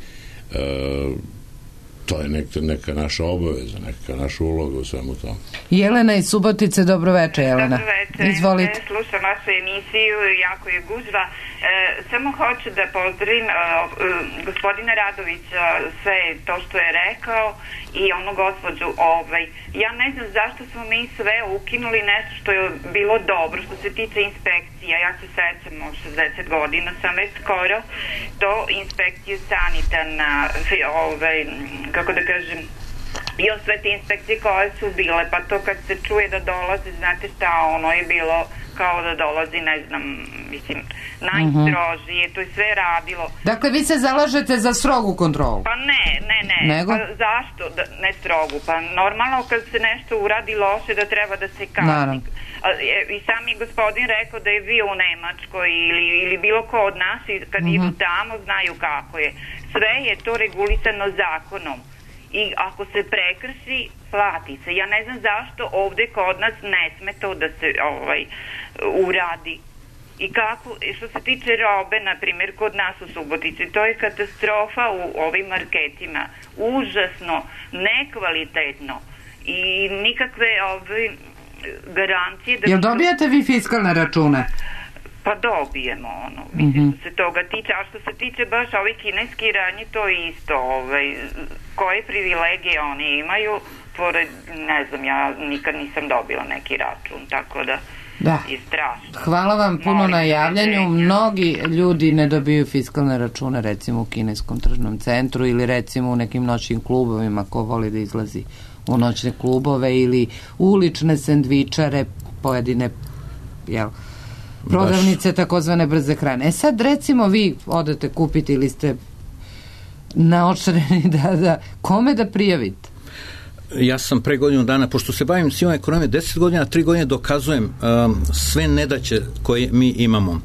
e, to je neka, neka naša obaveza, neka naša uloga u svemu tomu.
Jelena iz Subotice, dobro-veče, Jelena.
Dobro-veče.
Izvolite.
Slušam vašu emisiju, jako je gužva. E, samo hoću da pozdravim e, gospodina Radovića, sve to što je rekao i onu gospođu. Ovaj, ja ne znam zašto smo mi sve ukinuli nešto što je bilo dobro, što se tiče inspekcija. Ja se sećam, šezdeset godina sam već skoro, to inspekciju sanitarna, ovaj, kako da kažem, i o sve te inspekcije koje su bile, pa to kad se čuje da dolazi, znate šta, ono je bilo kao da dolazi, ne znam, mislim, najstrožije, to je sve radilo.
Dakle, vi se zalažete za strogu kontrolu?
Pa ne, ne, ne.
Nego?
Pa zašto da, ne strogu? Pa normalno kad se nešto uradi loše da treba da se kazni. I sam je gospodin rekao da je bio u Nemačkoj ili, ili bilo ko od nas i kad mm-hmm. idu tamo znaju kako je. Sve je to regulisano zakonom. I ako se prekrši, plati se. Ja ne znam zašto ovde kod nas ne sme to da se ovaj, uradi. I kako, što se tiče robe, na primjer, kod nas u Subotici, to je katastrofa u ovim marketima. Užasno, nekvalitetno i nikakve ove garancije... Da
jel dobijate vi fiskalne račune?
Pa dobijemo, ono, mislim, mm-hmm. što se toga tiče, a što se tiče baš ovih kineski radnji, to je isto, ovaj, koje privilegije oni imaju, pored, ne znam, ja nikad nisam dobila neki račun, tako da, da. je strašno.
Hvala vam puno Molim na javljanju. Mnogi ljudi ne dobiju fiskalne račune, recimo u kineskom tržnom centru ili recimo u nekim noćnim klubovima, ko voli da izlazi u noćne klubove ili ulične sendvičare, pojedine, jel, prodavnice takozvane brze hrane. E sad recimo vi odete kupiti ili ste naočareni da, da kome da prijavite?
Ja sam pre godinu dana, pošto se bavim sivom ekonomijom deset godina, tri godine dokazujem um, sve nedaće koje mi imamo. Uh,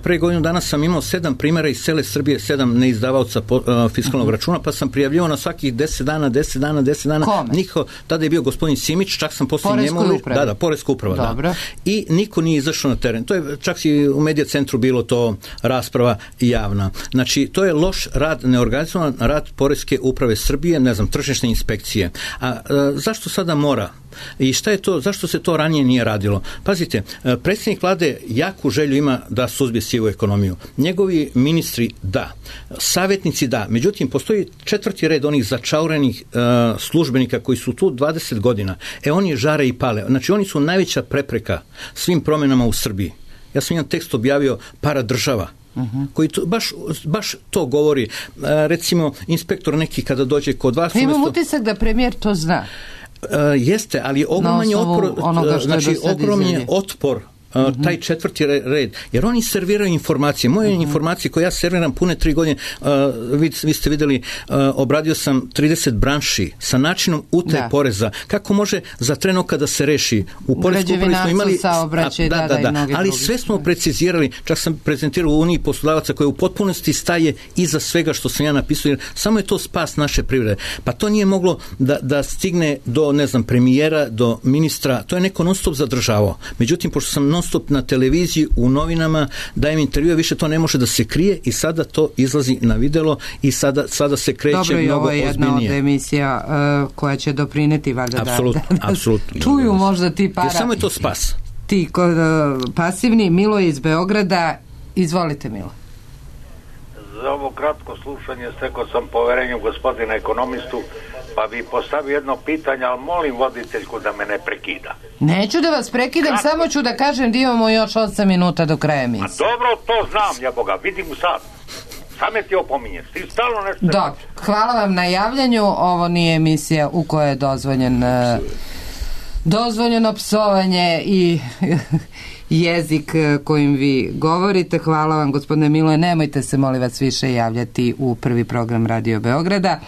pre godinu dana sam imao sedam primjera iz cele Srbije, sedam neizdavaoca po, uh, fiskalnog uh-huh. računa, pa sam prijavljivao na svakih deset dana, deset dana, deset dana.
Kome?
Niko, tada je bio gospodin Simić, čak sam poslije njemu...
Uprave.
Da, da, Poreska uprava,
Dobro.
da. I niko nije izašao na teren. To je, čak i u Medija centru bilo to rasprava javna. Znači, to je loš rad, neorganizovan rad Poreske uprave Srbije, ne znam, tržišne inspekcije. A zašto sada mora? I šta je to, zašto se to ranije nije radilo? Pazite, predsjednik vlade jaku želju ima da suzbije sivu ekonomiju. Njegovi ministri da, savjetnici da, međutim postoji četvrti red onih začaurenih uh, službenika koji su tu dvadeset godina. E oni žare i pale. Znači oni su najveća prepreka svim promjenama u Srbiji. Ja sam jedan tekst objavio para država. Uh-huh. koji to, baš, baš to govori. Uh, recimo, inspektor neki kada dođe kod vas...
Imam umjesto... utisak da premijer to zna.
Uh, jeste, ali ogroman je otpor, znači, ogroman je otpor Uh, taj četvrti red, jer oni serviraju informacije. Moje uh-huh. informacije koje ja serviram pune tri godine, uh, vi, vi ste vidjeli, uh, obradio sam trideset branši sa načinom utaje da. poreza. Kako može za treno kada se reši? U porezku upravi smo imali...
saobraćaj, da, da, da, da,
ali sve smo precizirali, čak sam prezentirao u Uniji poslodavaca koja u potpunosti staje iza svega što sam ja napisao, jer samo je to spas naše privrede. Pa to nije moglo da, da stigne do, ne znam, premijera, do ministra, to je neko non stop zadržavao. Međutim, pošto sam non stop na televiziji, u novinama, dajem intervjue, više to ne može da se krije i sada to izlazi na videlo i sada, sada se kreće
Dobro,
mnogo ozbiljnije.
Dobro, ovo je jedna od emisija uh, koja će doprineti valjda
apsolutno,
da, da,
apsolutno.
čuju možda ti para.
Jer samo je to spas.
Ti uh, pasivni. Milo iz Beograda, izvolite Milo.
Za ovo kratko slušanje stekao sam poverenju gospodina ekonomistu, pa bi postavio jedno pitanje, ali molim voditeljku da me ne prekida.
Neću da vas prekidam, Kratko. samo ću da kažem da imamo još osam minuta do kraja emisije.
A dobro, to znam, ja Boga, vidim u sad. Same ti opominješ, ti stalno nešto...
Dobro, hvala vam na javljanju, ovo nije emisija u kojoj je dozvoljen uh, dozvoljeno psovanje i jezik kojim vi govorite. Hvala vam, gospodine Miloje. Nemojte se, molim vas, više javljati u prvi program Radio Beograda.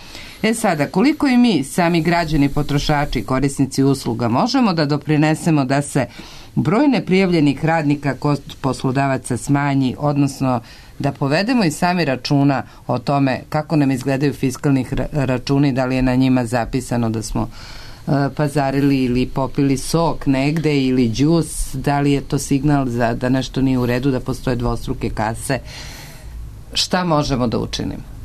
E sada, koliko i mi, sami građani, potrošači, korisnici usluga, možemo da doprinesemo da se broj neprijavljenih radnika kod poslodavaca smanji, odnosno da povedemo i sami računa o tome kako nam izgledaju fiskalnih računi, da li je na njima zapisano da smo uh, pazarili ili popili sok negde ili džus, da li je to signal za da nešto nije u redu, da postoje dvostruke kase. Šta možemo da učinimo?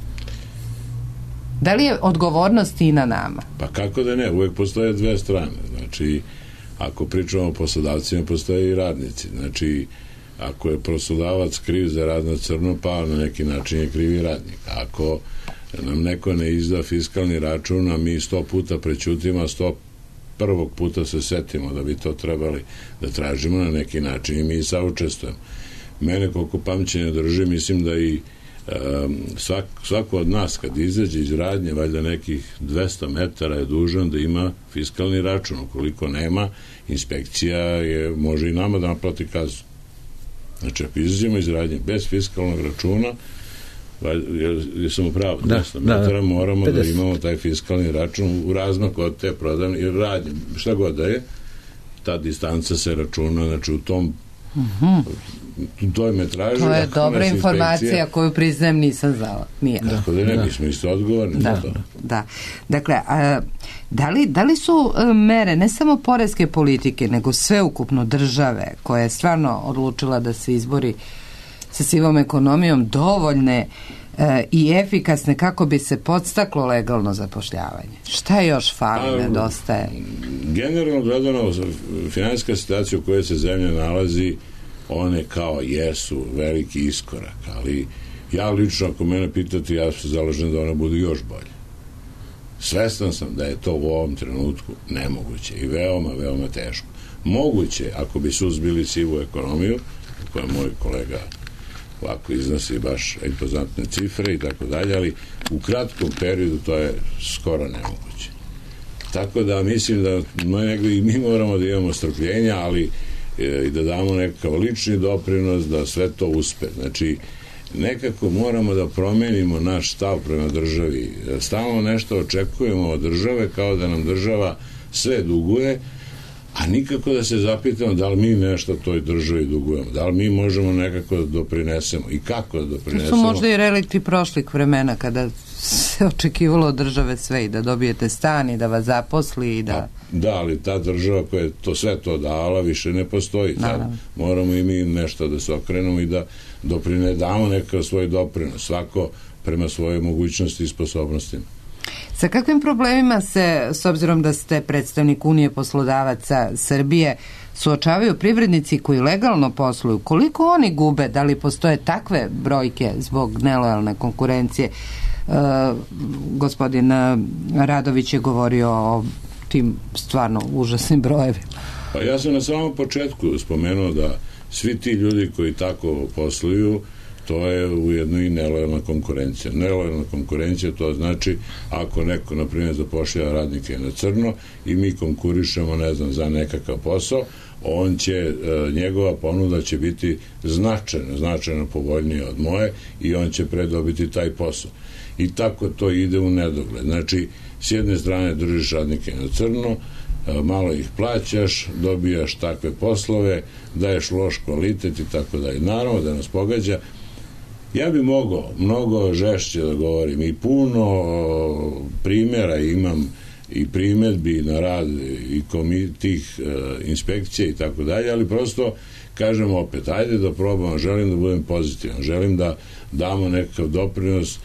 Da li je odgovornost i na nama?
Pa kako da ne, uvek postoje dve strane. Znači, ako pričamo o poslodavcima, postoje i radnici. Znači, ako je poslodavac kriv za rad na crno, pa na neki način je kriv i radnik. Ako nam neko ne izda fiskalni račun, a mi sto puta prećutimo, a sto prvog puta se setimo da bi to trebali da tražimo na neki način i mi saučestvujemo. Mene, koliko pamćenja drži, mislim da i um, svak, svako od nas kad izađe iz radnje, valjda nekih dvesta metara je dužan da ima fiskalni račun. Ukoliko nema, inspekcija je, može i nama da naplati kaznu. Znači, ako izađemo iz radnje bez fiskalnog računa, jer sam upravo, dvesta metara, moramo pedeset da imamo taj fiskalni račun u razmaku od te prodavne i radnje. Šta god da je, ta distanca se računa, znači u tom mm-hmm. u toj metraži.
To je dobra informacija koju priznajem nisam znala. Nije.
Tako da ne, da. Mi smo isto odgovorni
da,
za to.
Da. Dakle, a, da, li, da li su a, mere ne samo poreske politike, nego sveukupno države koja je stvarno odlučila da se izbori sa sivom ekonomijom dovoljne e, i efikasne kako bi se podstaklo legalno zapošljavanje? Šta još fali, nedostaje?
Generalno gledano, finansijska situacija u kojoj se zemlja nalazi, one kao jesu veliki iskorak, ali ja lično, ako mene pitati, ja se zalažem da one budu još bolje. Svestan sam da je to u ovom trenutku nemoguće i veoma, veoma teško. Moguće, ako bi suzbili sivu ekonomiju, koja moj kolega ovako iznosi baš impozantne cifre i tako dalje, ali u kratkom periodu to je skoro nemoguće. Tako da mislim da negdje i mi moramo da imamo strpljenja, ali i da damo nekakav lični doprinos da sve to uspe. Znači, nekako moramo da promenimo naš stav prema državi. Stalno nešto očekujemo od države kao da nam država sve duguje, a nikako da se zapitamo da li mi nešto toj državi dugujemo, da li mi možemo nekako da doprinesemo i kako da doprinesemo.
To su možda i relikti prošlih vremena kada se očekivalo od države sve i da dobijete stan i da vas zaposli i da...
A, da, ali ta država koja je to sve to dala više ne postoji. Sad moramo i mi nešto da se okrenemo i da doprine, damo nekakav svoj doprinos, svako prema svojoj mogućnosti i sposobnostima.
Sa kakvim problemima se, s obzirom da ste predstavnik Unije poslodavaca Srbije, suočavaju privrednici koji legalno posluju? Koliko oni gube? Da li postoje takve brojke zbog nelojalne konkurencije? E, gospodin Radović je govorio o tim stvarno užasnim brojevima.
Pa ja sam na samom početku spomenuo da svi ti ljudi koji tako posluju, to je ujedno i nelojalna konkurencija. Nelojalna konkurencija, to znači ako neko, na primjer, zapošljava radnike na crno i mi konkurišemo, ne znam, za nekakav posao, on će, njegova ponuda će biti značajno, značajno povoljnija od moje i on će predobiti taj posao. I tako to ide u nedogled. Znači, s jedne strane držiš radnike na crno, malo ih plaćaš, dobijaš takve poslove, daješ loš kvalitet i tako da. I naravno da nas pogađa. Ja bi mogao mnogo žešće da govorim i puno primjera imam i primjedbi na rad i tih e, inspekcija i tako dalje, ali prosto kažem opet, ajde da probamo, želim da budem pozitivan, želim da damo nekakav doprinos,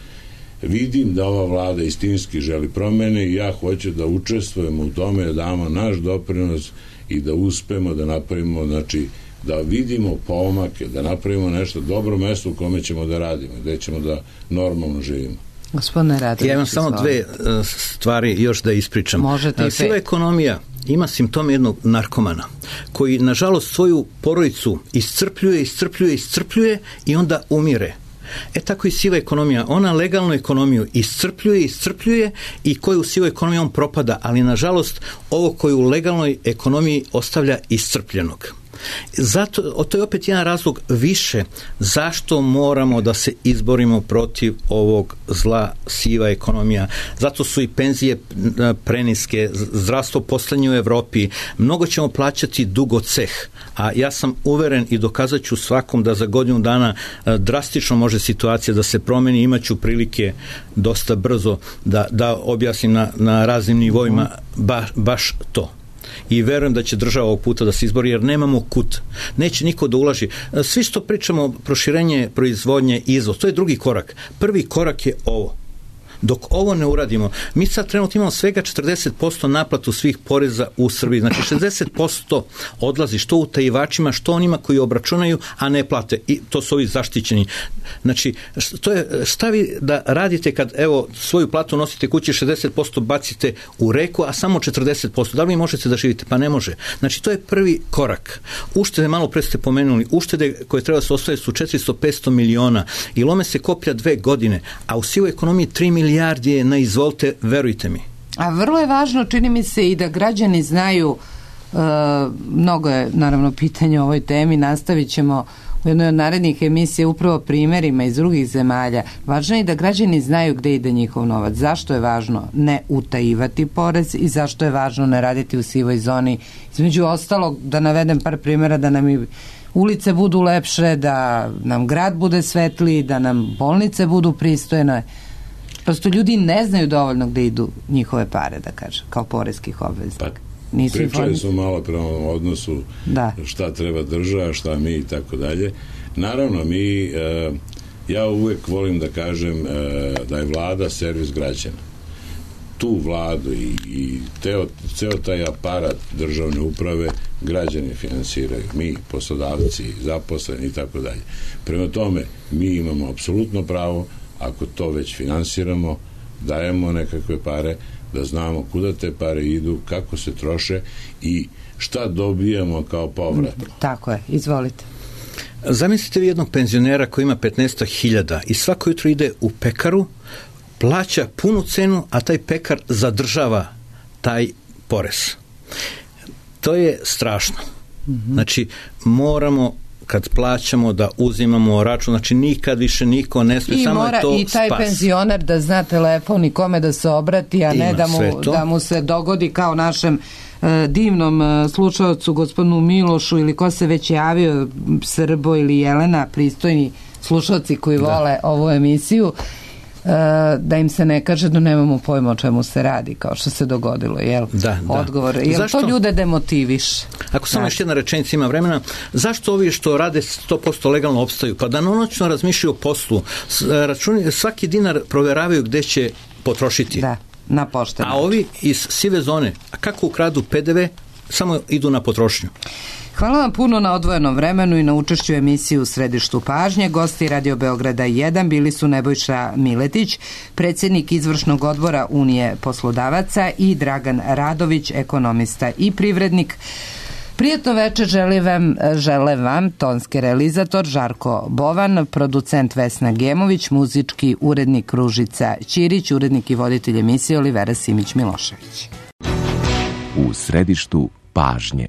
vidim da ova vlada istinski želi promene i ja hoću da učestvujemo u tome, da damo naš doprinos i da uspemo da napravimo, znači da vidimo pomake, da napravimo nešto dobro mesto u kome ćemo da radimo, gde ćemo da normalno živimo.
Gospodine Radović,
ja imam samo dve stvari još da ispričam.
Možete i
siva ekonomija ima simptome jednog narkomana koji nažalost svoju porodicu iscrpljuje, iscrpljuje, iscrpljuje i onda umire. E tako i siva ekonomija, ona legalnu ekonomiju iscrpljuje, iscrpljuje i koju sivu ekonomiju on propada, ali nažalost ovo koju u legalnoj ekonomiji ostavlja iscrpljenog. Zato, to je opet jedan razlog više zašto moramo da se izborimo protiv ovog zla siva ekonomija. Zato su i penzije preniske, zdravstvo poslednje u Evropi, mnogo ćemo plaćati dugo ceh, a ja sam uveren i dokazat ću svakom da za godinu dana drastično može situacija da se promeni, imaću prilike dosta brzo da, da objasnim na, na raznim nivoima ba, baš to. I verujem da će država ovog puta da se izbori, jer nemamo kut. Neće niko da ulaži. Svi što pričamo, proširenje proizvodnje, izvoz, to je drugi korak. Prvi korak je ovo. Dok ovo ne uradimo, mi sad trenutno imamo svega četrdeset posto naplatu svih poreza u Srbiji. Znači šezdeset posto odlazi što utajivačima, što onima koji obračunaju, a ne plate. I to su ovi zaštićeni. Znači, to je, šta vi da radite kad, evo, svoju platu nosite kući, šezdeset posto bacite u reku, a samo četrdeset posto. Da li vi možete da živite? Pa ne može. Znači, to je prvi korak. Uštede, malo pre ste pomenuli, uštede koje treba se ostaviti su četiristo do petsto miliona i lome se koplja dve godine, a u sivoj ekonomiji tri milijardi je na izvolte, verujte mi.
A vrlo je važno, čini mi se, i da građani znaju, uh, mnogo je naravno pitanje o ovoj temi, nastavit ćemo u jednoj od narednih emisija upravo primjerima iz drugih zemalja. Važno je da građani znaju gde ide njihov novac. Zašto je važno ne utajivati porez i zašto je važno ne raditi u sivoj zoni. Između ostalog, da navedem par primjera, da nam i ulice budu lepše, da nam grad bude svetliji, da nam bolnice budu pristojne. Prosto ljudi ne znaju dovoljno gde idu njihove pare, da kažem, kao poreskih obveznika.
Pa, pričali smo malo prema odnosu da. Šta treba država, šta mi i tako dalje. Naravno, mi, e, ja uvek volim da kažem e, da je vlada servis građana. Tu vladu i, i teo, ceo taj aparat državne uprave građani finansiraju. Mi, poslodavci, zaposleni i tako dalje. Prema tome, mi imamo apsolutno pravo, ako to već finansiramo, dajemo nekakve pare, da znamo kuda te pare idu, kako se troše i šta dobijamo kao povrat.
Tako je, izvolite.
Zamislite vi jednog penzionera koji ima petnaest hiljada i svako jutro ide u pekaru, plaća punu cenu, a taj pekar zadržava taj porez. To je strašno. Mm-hmm. Znači, moramo kad plaćamo da uzimamo račun, znači nikad više niko ne smije, samo je to spas. I taj
spas. Penzioner da zna telefon i kome da se obrati, a Ima ne da mu, da mu se dogodi kao našem e, divnom e, slušalcu, gospodinu Milošu, ili ko se već javio, Srbo ili Jelena, pristojni slušalci koji vole da. Ovu emisiju, da im se ne kaže da nemamo pojma o čemu se radi, kao što se dogodilo, jel? Da, da. Odgovor. Jel zašto? To ljude demotiviš?
Ako samo još jedna rečenica ima vremena, zašto ovi što rade sto posto legalno opstaju? Pa da noćno razmišljaju o poslu, računi, svaki dinar proveravaju gde će potrošiti.
Da, na poštenu.
A ovi iz sive zone, a kako ukradu pe de ve, samo idu na potrošnju.
Hvala vam puno na odvojenom vremenu i na učešću emisiju u Središtu pažnje. Gosti Radio Beograda jedan bili su Nebojša Miletić, predsjednik izvršnog odbora Unije poslodavaca, i Dragan Radović, ekonomista i privrednik. Prijatno večer žele vam, žele vam tonski realizator Žarko Bovan, producent Vesna Gemović, muzički urednik Ružica Ćirić, urednik i voditelj emisije Olivera Simić Milošević.
U Središtu pažnje.